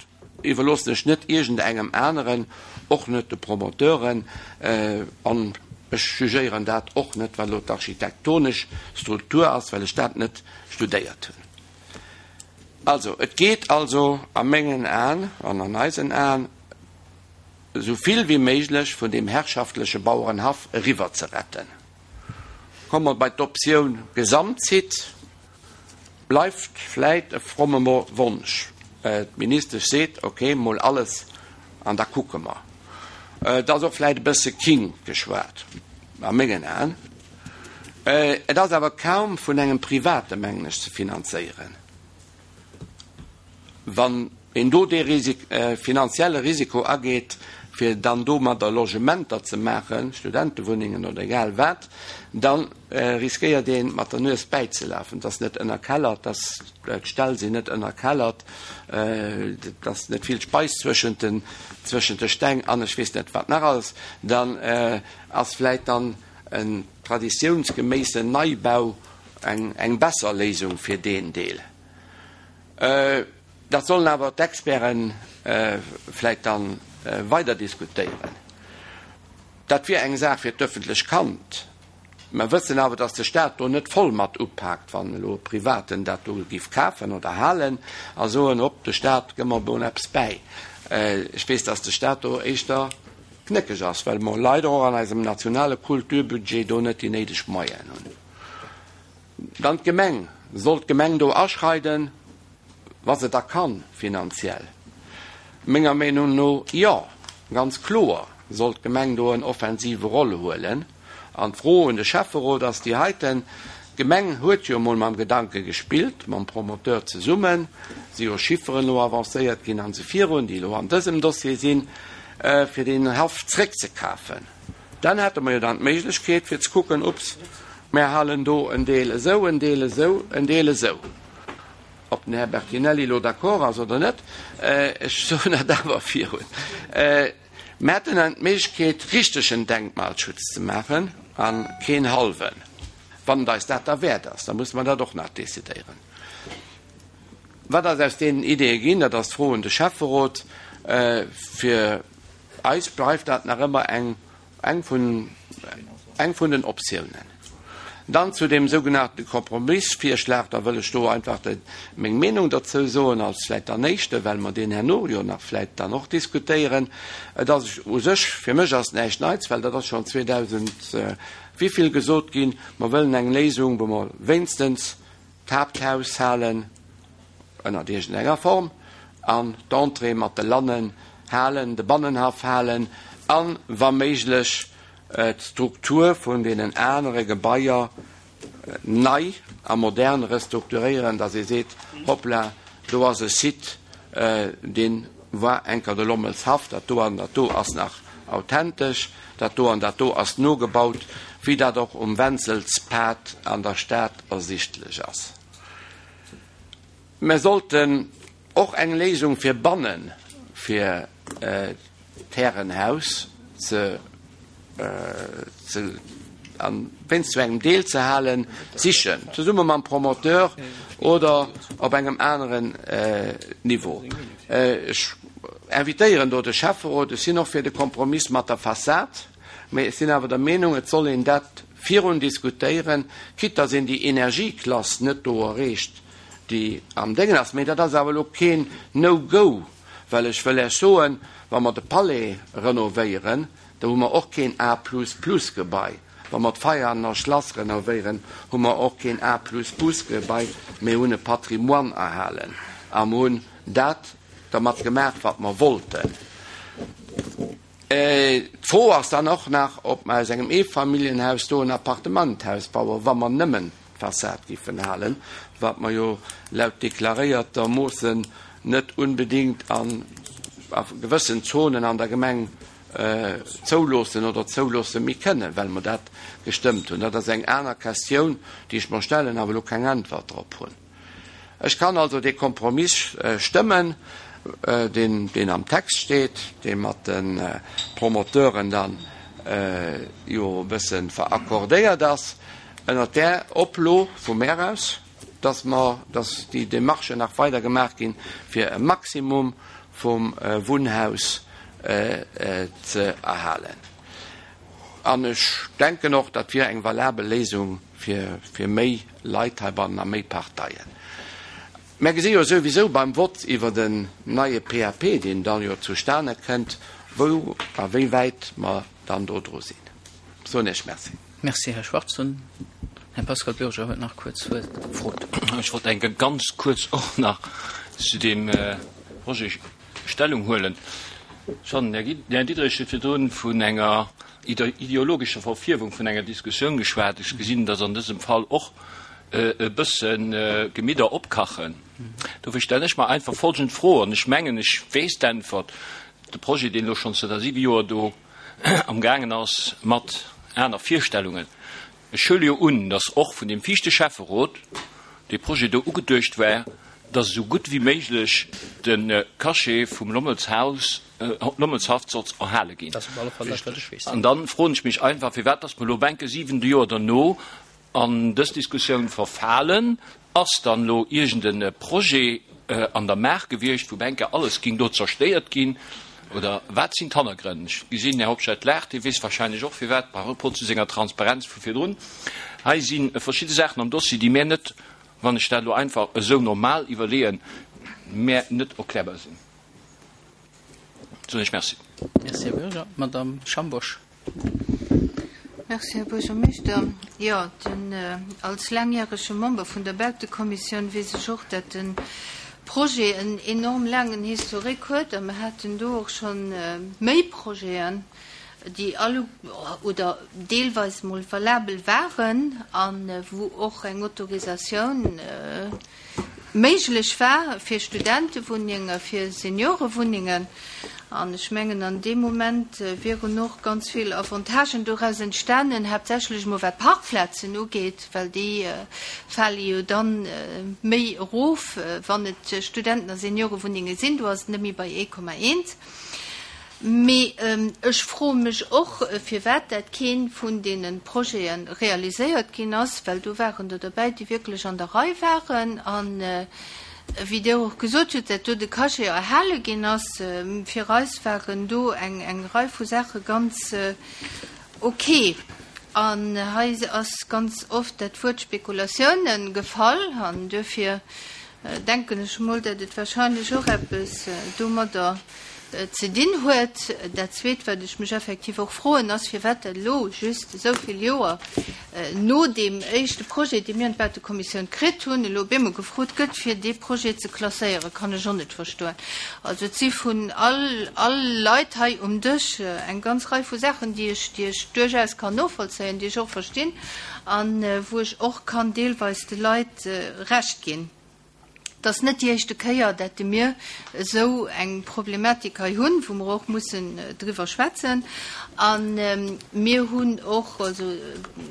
iwwerloossen ech net iergendengem aneren, och net de Promoteuren, an ech jugéieren dat och net, wat elo d'architektonesch Struktur ass, well ech dat net studéiert hunn. Also, et geet also a mengen Aen an an eisen Aen, esou vill wéi méiglech vun deem herrschaftleche Bauerenhaff eriwwer ze retten. Komme mer bei d'Optioun Gesamtsite, bleift vläit e fromme Wonsch. D'Ministesch seet, ok, mol alles an da kucke mer. Et ass och vläit e bësse king geschwat, a mengen Aen. Et ass awer kaum vun engem Private, mengen ech, ze finanzéieren. Wann een do dee finanzielle Risiko ageet, fir dann domadder Logementer ze maachen, Studentewunnengen oder egal wat, da riskéiert ee mat der Nues bäizelafen. Et ass net ënnerkellert, d'Ställ sinn net ënnerkellert, et ass net vill Speis zwëschent de Steng an ech weess net wat nach alles. Dann ass vläit dann en traditiounsgeméissen Neibau eng besser Léisung fir deen Deel. Dat sollen awer d'Experte vläit da weider diskutéieren. Dat wier eng Saach fir d'öffentlech Kand. Mer wëssen awer, datt de Staat do net voll mat upaakt, wann elo e Privaten dat do géif kafen oder halen a soen, Hopp, de Staat, gëmm mer emol eppes bäi. Ech weess, datt de Staat do éischter knéckeg ass, well mer leider och an eisem nationale Kulturbudget do net déi néideg Moyenen hunn. Dann d'Gemeng. Soll d'Gemeng do aschreiden, wa se da kann, finanziell? Menger Meenung no jo, ganz kloer soll d'Gemeng do en offensive Rôle huelen. An d'Fro un de Schäfferot ass déi heiten, D'Gemeng huet jo emol mam Gedanke gespillt, mam Promoteur zesummen, si jo Chifferen elo avancéiert ginn an esou virun, déi elo an dësem Dossier sinn, fir deen Haff zréckzekafen. Dann hätte mer jo dann d'Méiglechkeet fir ze kucken, Ups, mär halen do en Deel esou, en Deel esou, en Deel esou. Ob den Här Bertinelli elo d'accord ass oder net, ech soen dat awer virun. Mär hätten dann d'Méiglechkeet, richtegen Denkmalschutz ze maachen a keen hallwen. Wann et eis dat derwäert ass, da musse mer dat och nach decidéieren. Wat ass aus deenen Ideeë ginn? Dat ass d'Fro un de Schäfferot. Fir eis bleift dat nach ëmmer eng eng vun eng vun den Optiounen. Dann zu deem sougenannte Kompromissvirschlag, da wëll ech do einfach de meng Meenung derzou soen, als vläicht dann Éischte, well mer deen herno jo nach vläicht dann och diskutéieren. Et ass u sech, fir mech ass näischt Neits, well dat ass schonn zweedausend wivill gesot ginn, mer wëllen eng Léisung, wou mer wéinstens d'Haapthaus halen, ënnert iergendenger Form, an d'Entrée mat de Lannen halen, de Bannenhaff halen an, wa méiglech, d'Struktur vun deenen anere Gebaier nei a modern restrukturéieren, datt ee seet, Hoppla, do ass e Site, dee war enker de Lommelshaff, dat do an dat do ass nach authentesch, dat do an dat do ass nogebaut, wéi dat och um Wenzelspad an der Stad ersichtlech ass. Mer sollten och eng Léisung fir banne fir d'Härenhaus ze an wéinst zu engem Deel ze halen, sichen, zesumme mam Promoteur oder op engem aneren Niveau. Ech invitéieren do de Schäfferot, ech sinn och fir de Kompromiss mat der Fassad, mä ech sinn awer der Meenung, et soll een dat virun diskutéieren, quitte dass een déi Energieklass net do erreecht, déi am Déngen ass. Mä dat ass awer elo keen No-Go, well ech wëll Iech soen, wa mer de Palais renovéieren, do hu mer och keen A-plus-plus-Gebai. Wa mer d'Veianer Schlass renovéieren, hu mer och keen A-plus-plus-Gebai, mee hunn e Patrimoine erhalen a mer hunn dat dermat gemaach, wat mer wollten. D'Fro ass dann och nach, ob mer aus engem Eefamilljenhaus do en Appartementhaus bauen, wa mer nëmmen Fassad giffen halen, wat mer jo laut deklaréierter Moossen net unbedingt an a gewëssen Zonen an der Gemeng zouloossen oder zouloosse méi kënnen, well mer dat gestëmmt hunn. Dat ass eng aner Questioun, déi ech mer stellen, awer elo keng Äntwert drop hunn. Ech kann also dee Kompromiss stëmmen, deen, deen am Text steet, dee mat de Promoteuren dann jo e bësse veraccordéiert ass, ënnert där Oplo vu mär aus, dass mer, dass déi Démarchen nach weider gemaach ginn, fir e Maximum vum Wunnhaus ze erhalen. An ech denken och, dat wier eng valabel Léisung fir, fir méi Leit heibannen a méi Parteien. Mer gesi jo souwisou beim Vott iwwer den neie P A P, deen dann jo zustane kënnt, wou a wéi wäit mer dann do dru sinn. Soen Iech Merci. Merci, Här Schwarz. Den Här Pascal Bürger huet nach kuerz d'Wuert gefrot. Ech wollt eng ganz kuerz och nach zu deem Projet Stellung huelen. Ech fannen, Här Diderich huet virdrun vun enger ideologescher Verfierwung vun enger Diskussioun geschwat. Ech gesinn, dass an dësem Fall och e bësse Gemidder opkachen. Dofir stellen ech mer einfach folgend Fro, an ech mengen, ech weess d'Äntwert. De Projet, deen elo schonn zënter siwe Joer do amgaangen ass mat aner Virstellungen. Ech huele jo un, dass och vun deem viischte Schäfferot dee Projet do ugeduecht war, dass esou gutt wéi méiglech de Cachet vum Lommelshaus, Lommelshaff sollt erhale ginn. Dat ass op alle Fall dat, wat ech weess. An dann froen ech mech einfach, firwat dass mer elo bänke siwen Joer derno an dës Diskussioun verfalen. Ass dann elo iergend e Projet an der Maach gewiescht, wou bänke alles ging do zerstéiert ginn? Oder wat sinn d'Hannergrënn? Ech gesinn, Här Hobscheit laacht, dee weess wahrscheinlech och firwat, par rapport zu senger Transparenz vu virdrun. Hei si verschidde Saachen am Dossier, déi mär net, wann ech dat elo einfach esou normal iwwerleeën, mär net erklärbar sinn. Soen ech Merci. Merci, Här Bürger. Madame Schambosch. Merci, Här Buergermeeschter. Jo, den, als laangjärege Member vun der Bautekommissioun weess ech och, dat de Projet en enorm laangen Historique huet a mer haten do och scho méi Projeten, déi alle oder deelweis mol valabel waren a wou och eng Autorisatioun méiglech war fir Studentewunnenge, fir Seniorewunnengen. An ech mengen, an deem Moment wieren och ganz vill Avantagen doraus entstanen, haaptsächlech emol wat Parkplazen ugeet, well déi fale jo dann méi erof, wann et Studenten a Seniorewunnenge sinn. Do ass et net méi bei ee Komma eent. Mee ech froe mech och, firwat dat keen vun deene Projete realiséiert ginn ass, well do waren der derbäi, déi wierklech an der Rei waren. An wéi Dir och gesot hutt, dat do de Cachet erhale ginn ass, fir eis waren do eng, eng Rei vu Saache ganz okay. An hei ass ganz oft dat Wuert Spekulatiounen gefall, an duerfir denken ech emol, dat et wahrscheinlech och eppes domadder ze dinn huet. Dat Zweet, wat ech mech effektiv och froen, ass, firwat dat elo just esou vill Joer no deem éischte Projet, dee mir an d'Bautekommissioun kritt hunn, elo op eemol gefrot gëtt, fir dee Projet ze klasséieren, kann ech och net verstoen. Also et si vun all, all Leit hei um Dësch eng ganz Rei vu Saachen, déi ech, déi ech duerchaus kann novollzéien, déi ech och verstinn an wou ech och kann deelweis de Leit Recht ginn. Et ass net déi éischte Kéier, dat mir esou eng Problematik hei hunn, wou mer och mussen driwwer schwätzen. A mir hunn och, also,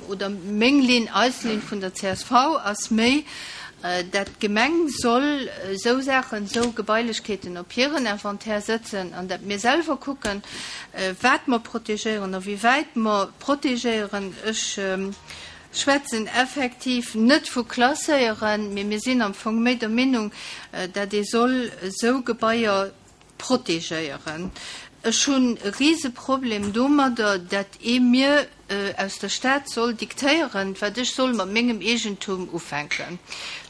oder meng Linn, eis Linn vun der C S V ass méi, dat d'Gemeng soll esou Saachen, esou Gebailechkeeten op hiren Inventaire sëtzen an dat mir selwer kucken, wat mer protegéieren a wéi wäit mer protegéieren. Ech schwätzen effektiv net vu Klasséieren, mee mir sinn am Fong méi der Meenung, dat ee soll esou Gebaier protegéieren. Ech hunn e Rieseproblem domadder, dat ee mir aus der Stad soll diktéieren, wat ech soll mat mengem Eegentum ufänken.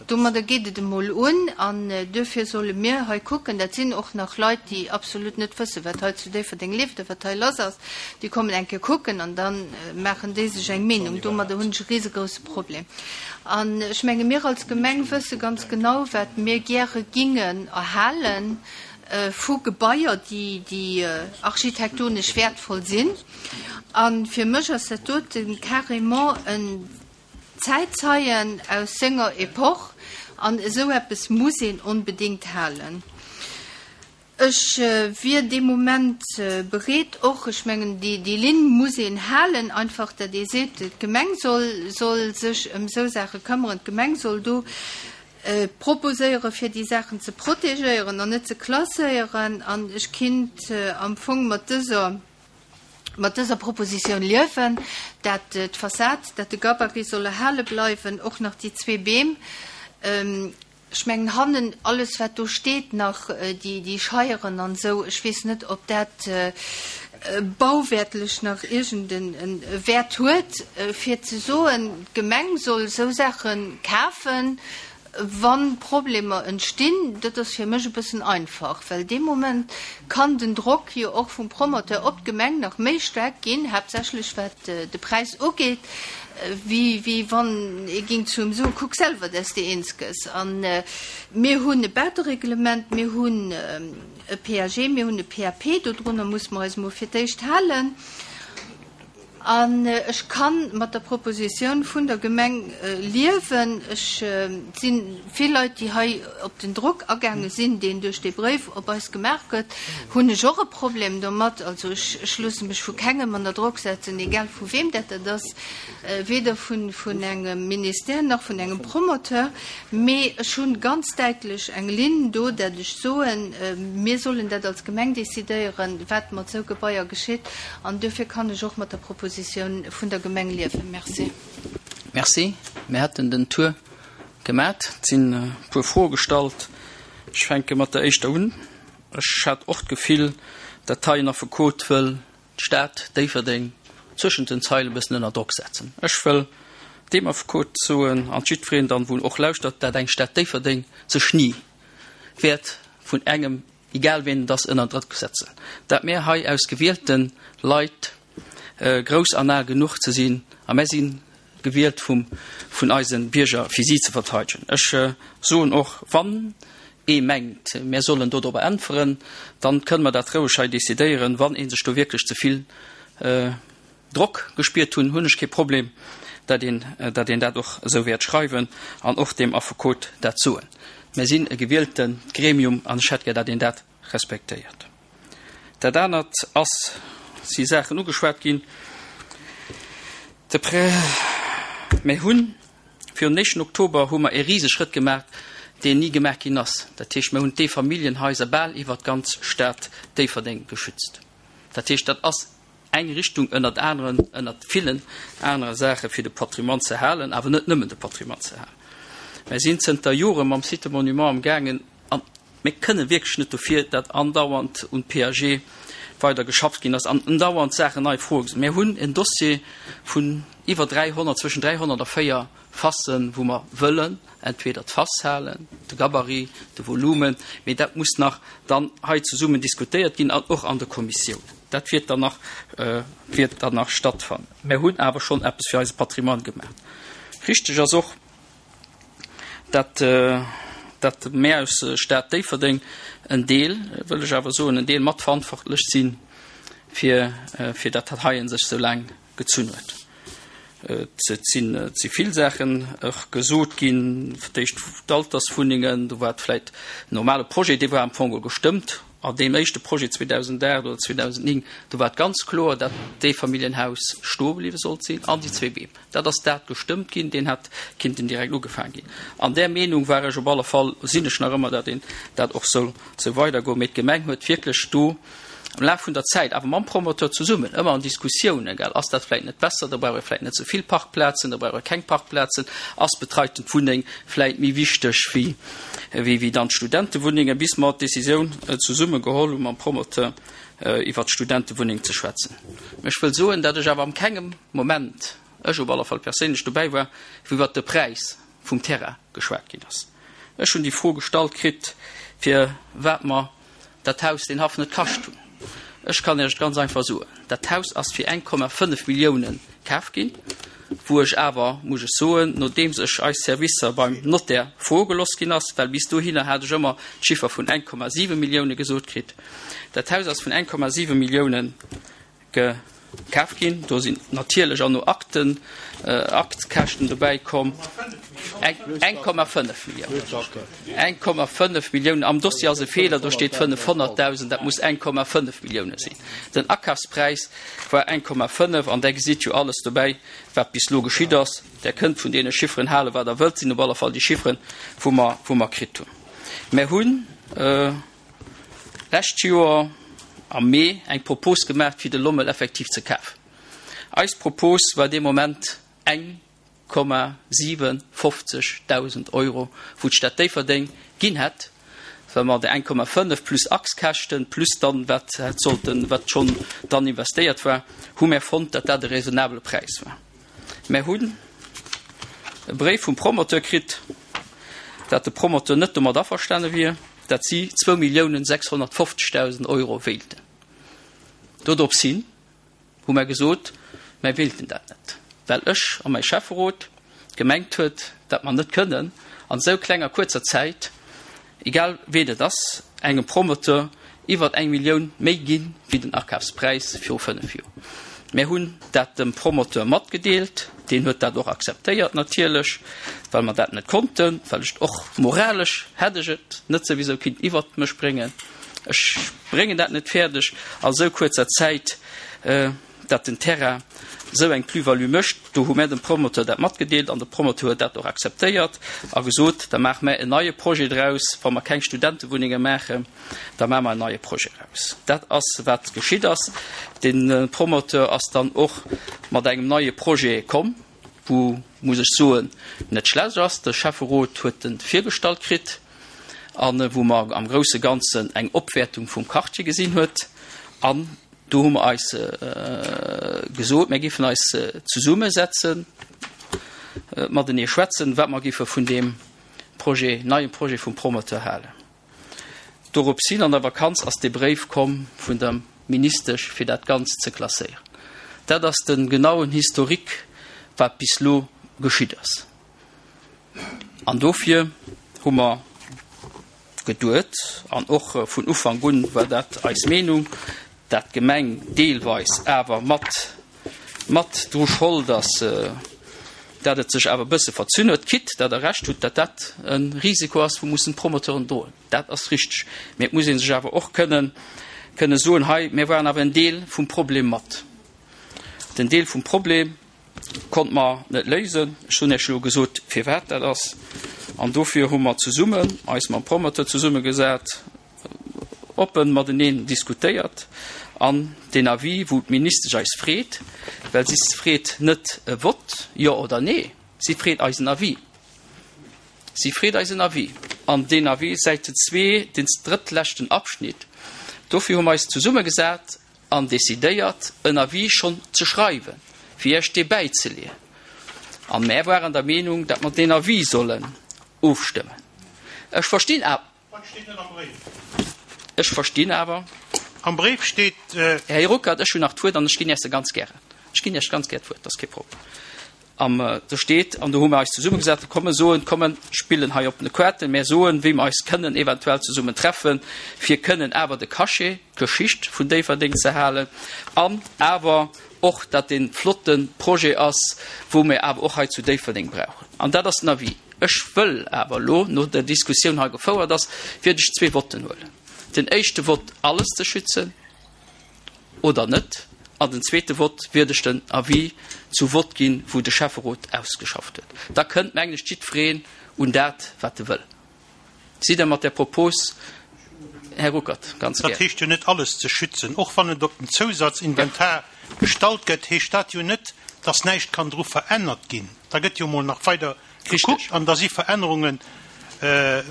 Domadder geet et emol un an duerfir solle mir hei kucken. Dat sinn och nach Leit, déi absolut net wëssen, wat hei zu Déifferdeng leeft a wat hei lass ass. Déi kommen eng Kéier kucken an dann maachen déi sech eng Meenung. Domadder hunn ech e riesegrouse Problem. An ech menge mir als Gemeng wësse ganz genau, wat mir gäre gingen erhalen vu Gebaier, déi, déi architektonesch wertvoll sinn. An fir mech ass dat doten carrément en Zäitzeien aus senger Epoch an esou eppes muss een onbedéngt halen. Ech wier dee Moment bereet och, ech mengen, déi, déi Linn muss een halen, einfach datt ee seet, d'Gemeng soll, soll sech ëm esou Saache këmmeren, d'Gemeng soll do proposéiere fir déi Saachen ze protegéieren an net ze klasséieren. An ech kinnt am Fong mat dëser, mat dëser Propositioun liewen, dat d'Fassad, dat de Gabarit soll erhale bleiwen, och nach déi zwee Beem. Ech mengen hannen alles wat do steet nach, déi, déi Scheieren an esou, ech weess net, ob dat bauwäertlech nach iergend en Wäert huet, fir ze soen, d'Gemeng soll esou Saache kafen, wa Problemer entstinn. Dat ass fir mech e bëssen einfach, well dee Moment kann den Drock jo och vum Promoteur op d'Gemeng nach méi staark ginn, haaptsächlech wat de Präis ugeet, wéi, wéi wann ee ging zu em soen, kuck selwer, dass de eens gëss. An mir hunn e Bautereglement, mir hunn e P A G, mir hunn e P A P, dodrunner muss mer eis emol fir d'éischt halen. An ech kann mat der Propositioun vun der Gemeng liewen. Ech sinn vill Leit, déi hei op den Drock agaange sinn, deen duerch dee Bréif op eis gemaach gëtt, hunn ech och e Problem domat. Also ech, ech loosse mech vu kengem ënner Drock setzen, egal vu wem dat dat ass, weder vun, vun engem Ministère nach vun engem Promoteur. Mee ech hunn ganz däitlech eng Linn do, dat ech soen, mir sollen dat als Gemeng decidéieren, wat mat esou Gebaier geschitt. An duerfir kann ech och mat der Propositioun vun der Gemeng liewen. Merci. Merci. Mir hätten den Tour gemaat. Et sinn e puer Froe gestallt. Ech fänke mat der éischter un. Ech hat och d'Gefill, dat hei en Affekot wëll d'Stad Déifferdeng zwëschent den Zeile e bëssen ënner Drock setzen. Ech wëll deem Affekot soen, an jiddwereen dann, wou och lauschtert, dat eng Stad Déifferdeng sech ni wäert vun engem, egal wien et ass, ënner Drock setzen. Dat mir hei aus gewielten Leit grouss an al genuch ze sinn, a mir sinn gewielt vum, vun eisen Bierger, fir si ze verteidegen. Ech soen och, wann ee mengt, mir sollen do drop äntweren, dann kënnen wir dat roueg hei decidéieren, wann ee sech do wierklech ze vill Drock gespiert hunn, hunn ech kee Problem, dat een, dat een dat och esou wäert schreiwen an och dem Affekot dat soen. Mir sinn e gewielte Gremium an ech hätt gär, dat een dat respektéiert. Dat anert ass, si Saachen ugeschwat ginn. De Prä-, mir hunn virun éischten Oktober hu mer e riesege Schrëtt gemaach, deen ni gemaach ginn ass. Dat heescht, mir hunn d'Eefamilljenhaiser bal iwwer d'ganz Stad Déifferdeng geschützt. Dat heescht, dat ass eng Richtung ënnert aneren, ënnert villen anere Saache fir de Patrimoine ze halen, awer net nëmmen de Patrimoine ze halen. Mir sinn zënter Jore mam Site Monument am gaangen an mir kënne wierklech net dofir, dat andauernd un P A G weider geschafft ginn ass an andauernd Saachen nei Froe gesinn. Mir hunn en Dossier vun iwwer dräihonnert, zwëschen dräihonnert a véier Fassen, wou mer wëllen, entweder d'Fass halen, de Gabarit, de Volumen, mee dat muss nach dann hei zesummen diskutéiert ginn an och an der Kommissioun. Dat wird dann nach, äh, wird dann nach stattfannen. Mir hunn awer schonn eppes fir eise Patrimoine gemaach. Richteg ass och, dat, äh, dat mir aus Stad Déifferdeng en Deel, wëll ech awer soen, en Deel matverantwortlech sinn, fir, äh, fir dat dat heien sech so laang gezunn huet. Et sinn, et si vill Saachen och gesot ginn, fir d'éischt d'Alterswunnengen, do war vläicht en normale Projet, dee war am Fong gestëmmt. An deem éischte Projet zweedausendacht oder zweedausendnéng, do war ganz kloer, dat d'Eefamilljenhaus stoe bliwwe sollt sinn an déi zwee Beem. Dat ass dat gestëmmt ginn, deen hat kinnten direkt ugefaangen ginn. An där Meenung war ech op alle Fall, sinn ech nach ëmmer, dat een dat och soll sou weidergoen. Mee d'Gemeng huet wierklech do am Laf vun der Zäit, awer mam Promoteur zesummen, ëmmer an Diskussiounen, gell, ass dat vläicht net besser, da brauche vläicht net so vill Parkplazen, da brauche keng Parkplazen, ass betreiten Wunneng vläicht méi wichteg wéi, wéi, wéi dann d'Studentewunnenge, bis mer d'Decisioun, äh, zesumme geholl hunn mam Promoteur, äh, iwwer d'Studentewunneng ze schwätzen. Ech wëll soen, dat ech awer am kengem Moment, ech op alle Fall perséinlech dobäi war, wou iwwer de Präis vum Terrain geschwat ginn ass. Ech hunn déi Fro gestallt kritt, fir wat mer dat Haus den Haff net kascht hunn. Ech kann Iech ganz einfach soen, dat Haus ass fir eng Komma fënnef Milliounen kaf ginn, wou ech awer, muss ech soen, nodeems ech eis Servicer beim Notaire vorgeloss ginn ass, well bis dohinner hat ech ëmmer d'Chiffer vun eng Komma siwe Millioune gesot kritt. Dat Haus ass vun eng Komma siwe Milliounen ge-, kaf ginn. Do sinn natierlech och no Akten, Aktkäschten dobäi komm. Eng Komma fënnef Milliounen. Eng Komma fënnef Milliounen. Am Dossier ass e Feeler, do steet fënnefhonnertdausend, dat muss eng Komma fënnef Millioune sinn. Den Akafspräis war eng Komma fënnef an där gesitt jo alles dobäi, wat bis elo geschitt ass. Där kënnt vun deene Chifferen hale wat Der wëllt, sinn op alle Fall déi Chifferen, wou mer, wou mer kritt hunn. Mer hunn lescht Joer am Mee eng Propos gemaach, fir de Lommel effektiv ze kafen. Eis Propos war dee Moment eng Komma siwenfofzeg Dausend Euro, wou d'Stad Déifferdeng ginn hätt, well mer déi eng Komma fënnef plus Achskäschten plus dann wat hätt sollten, wat schonn dann investéiert war, hu mär fonnt, datt dat e raisonnabele Präis war. Mär hunn e Bréif vum Promoteur kritt, datt de Promoteur net domat averstane wier, datt si zwou Milliounen sechshonnertfofzegdausend Euro wéilten. Dodrops hin hu mär gesot, mär wéilten dat net, well ech a mäi Schäfferot gemengt huet, datt mer net kënnen an esou klenger kuerzer Zäit, egal ween et ass, engem Promoteur iwwert eng Millioun méi gi wéi den Akafspräis viru fënnef Joer. Mär hunn dat dem Promoteur matgedeelt, deen huet dat och akzeptéiert natierlech, well mer dat net konnten, well ech och moralesch hätt ech et net souwisou kinnt iwwert mech bréngen. Ech bréngen dat net fäerdeg a sou kuerzer Zäit, dat den Terrain esou eng Plus-value mécht. Do hu mär dem Promoteur dat matgedeelt an de Promoteur huet dat och akzeptéiert a gesot, da maache mär en neie Projet draus, wa mer keng Studentewunnenge maachen, da maache mer en neie Projet draus. Dat ass wat geschitt ass. De Promoteur ass dann och mat engem neie Projet komm, wou, muss ech soen, net schlecht ass. De Schäfferot huet e virgestallt kritt a wou mer am grousse Ganzen eng Opwäertung vum Quartier gesinn huet an Do hu mer eis gesot, mir géifen eis zesummesetzen, matenee schwätzen, wat mer géife vun deem Projet, neie Projet vum Promoteur halen. Doropshin an der Vakanz ass dee Bréif komm vun der Ministesch, fir dat Ganzt ze klasséieren. Dat ass de genauen Historique, wat bis elo geschitt ass. An dofir hu mer geduet, an och vun Ufank un war dat eis Meenung, dat d'Gemeng deelweis awer mat mat dru Schold ass, dat et sech awer e bësse verzunn huet, quitte dat Der Recht hutt, dat dat e Risiko ass, wou mussen d'Promoteuren droen. Dat ass richteg. Mee et muss ee sech awer och kënnen kënne soen, hei, mir waren awer en Deel vum Problem mat. Den Deel vum Problem konnte mer net léisen. Ech hunn Iech elo gesot, firwat dat ass. An dofir hu mer zesummen eis mam Promoteur zesummegesat, oppen mateneen diskutéiert an deen Avis, wou d'Ministesch eis freet, well si freet net e Vott, jo oder nee, si freet eisen Avis. Si freet eisen Avis. An deen Avis, Säite zwee, deen drëttleschten Abschnitt, dofir hu mer eis zesummegesat an decidéiert, en Avis schonn ze schreiwen, fir Iech dee bäizeleeën. A mär waren der Meenung, datt mer deen Avis sollen ofstëmmen. Ech verstinn awer. Wat steet net am Bréif? Ech verstinn awer. Am Bréif steet. Här Ruckert, ech hunn nach d'Wuert an ech ginn Iech se ganz gären. Ech ginn Iech ganz gär d'Wuert, dat ass kee Problem. Am, do steet, an do hu mer eis zesummegesat, komm mer soen, komm mer spillen hei op de Kaarten, mer soen, wéi mer eis kënnen eventuell zesummen treffen, fir kënnen awer de Cachet, d'Geschicht vun Déifferdeng ze halen an awer och, datt dee flotte Projet ass, wou mer awer och hei zu Déifferdeng brauchen. An dat ass den Avis. Ech wëll awer elo, no der Diskussioun hei gefouert ass, wiert ech zwee Votten huelen. Den éischte Vott, alles ze schützen oder net, an den zweete Vott wiert ech den Avis zu Vott ginn, wou de Schäfferot ausgeschafft huet. Da kënnt, mengen ech, jiddwereen un dat, wat e wëll. Sidd Der mat där Propos, Här Ruckert? Ganz Dat gär. heescht jo net, alles ze schützen. Och wann et op den Zousatzinventar gestallt gëtt, heescht dat jo net, dass näischt kann dru verännert ginn. Da gëtt jo emol nach weider gekuckt an da si Verännerunge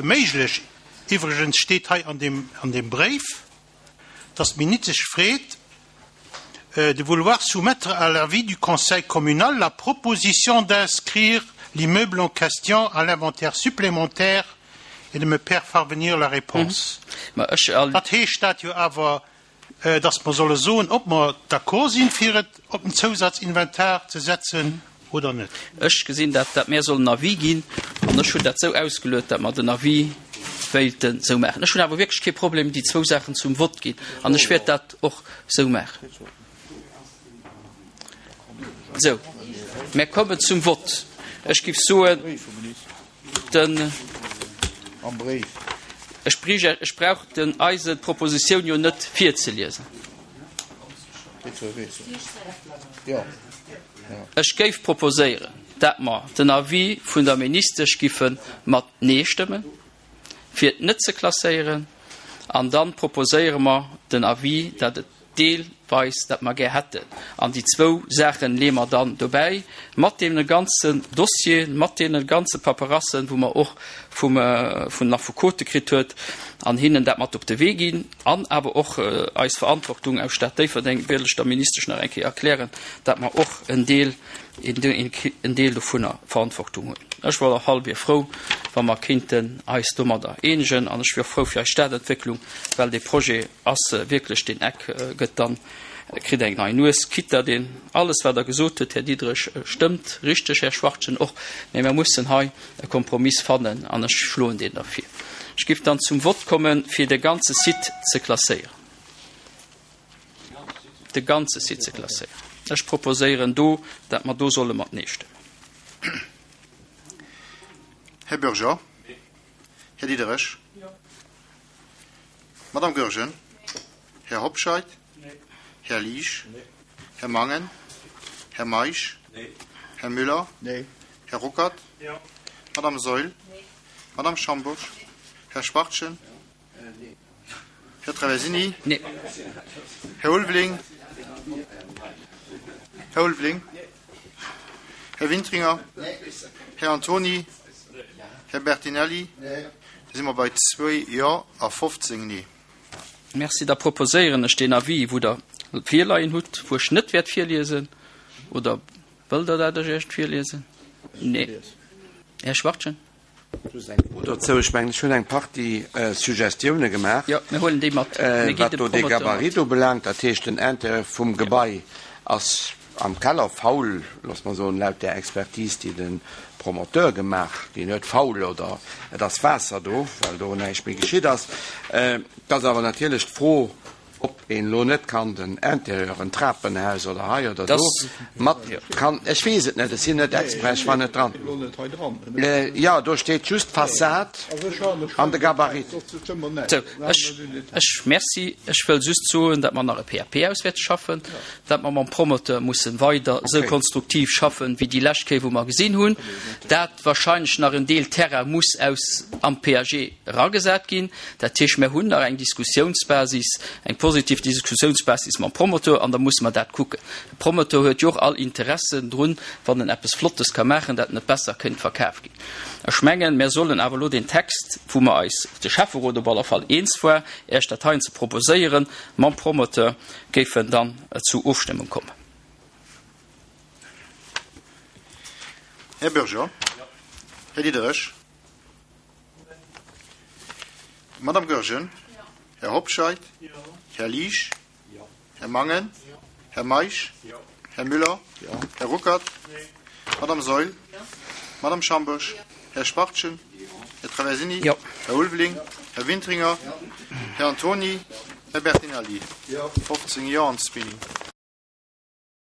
méiglech. Iwwregens steet hei an deem, an deem Bréif, dass d'Ministesch freet, de vouloir soumettre à l'avis du Conseil communal la proposition d'inscrire l'immeuble en question à l'inventaire supplémentaire et de me faire parvenir la réponse. Dat heescht dat jo awer, dass mer solle soen, ob mer d'accord sinn, fir et op den Zousatzinventar ze setzen oder net. Ech gesinn dat, dat mär sollen en Avis ginn, an ech hunn dat esou ausgeluet, dat mer den Avis wéilten esou maachen. Ech hunn awer wierklech kee Problem, déi zwou Saachen zum Vott ginn, an ech wäert dat och esou maachen. Sou, mär kommen zum Vott. Ech giff soen, den, ech brich, ech brauch den eise d'Propositioun jo net virzeliesen. Ech géif proposéieren, dat mer den Avis vun der Ministesch giffe mat Nee stëmmen, fir et net ze klasséieren, an dann proposéiere mer den Avis, dat et deelweis, dat mer gär hätten. An déi zwou Saachen leeë mer dann dobäi, mat deene ganzen Dossieren, mat deene ganze Paperassen, wou mer och vum, vun den Affekote kritt huet, an hinnen dat mat op de Wee ginn, an awer och eis Verantwortung aus Stad Déifferdeng wéilt ech der Ministesch nach eng Kéier erklären, dat mer och en Deel, en Deel dovunner Verantwortung hunn. Ech wor och hallwier frou, wa mer kéinten eis domadder eenegen, an ech wier och frou fir eis Stadentwécklung, well dee Projet ass wierklech, deen Eck gëtt dann, kritt eng nei Nues, quitte datt een alles, wat Der gesot hutt, Här Diderich, stëmmt, richteg, Här Schwachtgen och, mä mer mussen hei e Kompromiss fannen, an ech schloen deen da vir. Ech géif dann zum Vott kommen, fir de ganze Site ze klasséieren. De ganze Site ze klasséieren. Ech proposéieren do, dat mer do solle mat Nee stëmmen. Här Bürger? Här Diderich? Madame Goergen? Här Hobscheit? Här Liesch? Här Mangen? Här Meisch? Här Müller? Här Ruckert? Madame Saeul? Madame Schambourg? Här Schwachtgen? Här Traversini? Här Ulveling? Här Ulveling? Här Wintringer? Här Antoni? Här Bertinelli? Da si mer bei zwee Jo a fofzéng Nee. Merci. Da proposéieren ech deen Avis, wou Der virleien hutt, wou ech net wäert virliesen. Oder wëllt Der, dat ech Iech virliesen? Nee. Här Schwachtgen? Just eng Fro dozou. Ech mengen, ech hunn eng Partie Suggestioune gemaach, Jo, mir huelen déi mat. Mir ginn wat dem do de Promoteur mat. Gabarit ubelaangt. Dat heescht, den Intérieur vum Gebai ass am Keller faul, loosse mer soen, laut där Expertise, déi de Promoteur gemaach ginn huet, faul oder et ass Waasser do, well do näischt méi geschitt ass. Et ass awer natierlech d'Fro, ob een elo net kann den Intérieur, en Trapenhaus oder hei oder do mat kann, ech weess et net, ech sinn net Expert, ech war net dran. Jo, do steet just d'Fassad an de Gabarit. Sou, ech, ech, merci. Ech wëll just soen, datt mer nach e P A P auswäerts schaffen, datt mer mam Promoteur mussen weider esou konstruktiv schaffen, wéi déi lescht Kéier, wou mer gesinn hunn, dat wahrscheinlech nach en Deel Terrain muss aus am P A G eragesat ginn. Dat heescht, mer hunn nach eng Diskussiounsbasis, eng positiv Diskussiounsbasis mam Promoteur, an da musse mer dat kucken. De Promoteur huet jo och all Interessen drun, wann en eppes Flottes ka maachen, dat en et besser kënnt verkaf ginn. Ech mengen, mer sollen awer elo deen Text, wou mer eis, de Schäfferot op aller Fall, eens war, Iech dat heien ze proposéieren, mam Promoteur géifen dann zu Ofstëmmung kommen. Här Bürger. Här Diderich. Madame Goergen. Här Hobscheit. Här Liesch. Här Mangen. Här Meisch. Här Müller. Här Ruckert. Madame Saeul. Madame Schambourg. Här Schwachtgen. Här Traversini. Här Ulveling. Här Wintringer. Här Antoni. Här Bertinelli. fofzéng Jo an zwee Nee.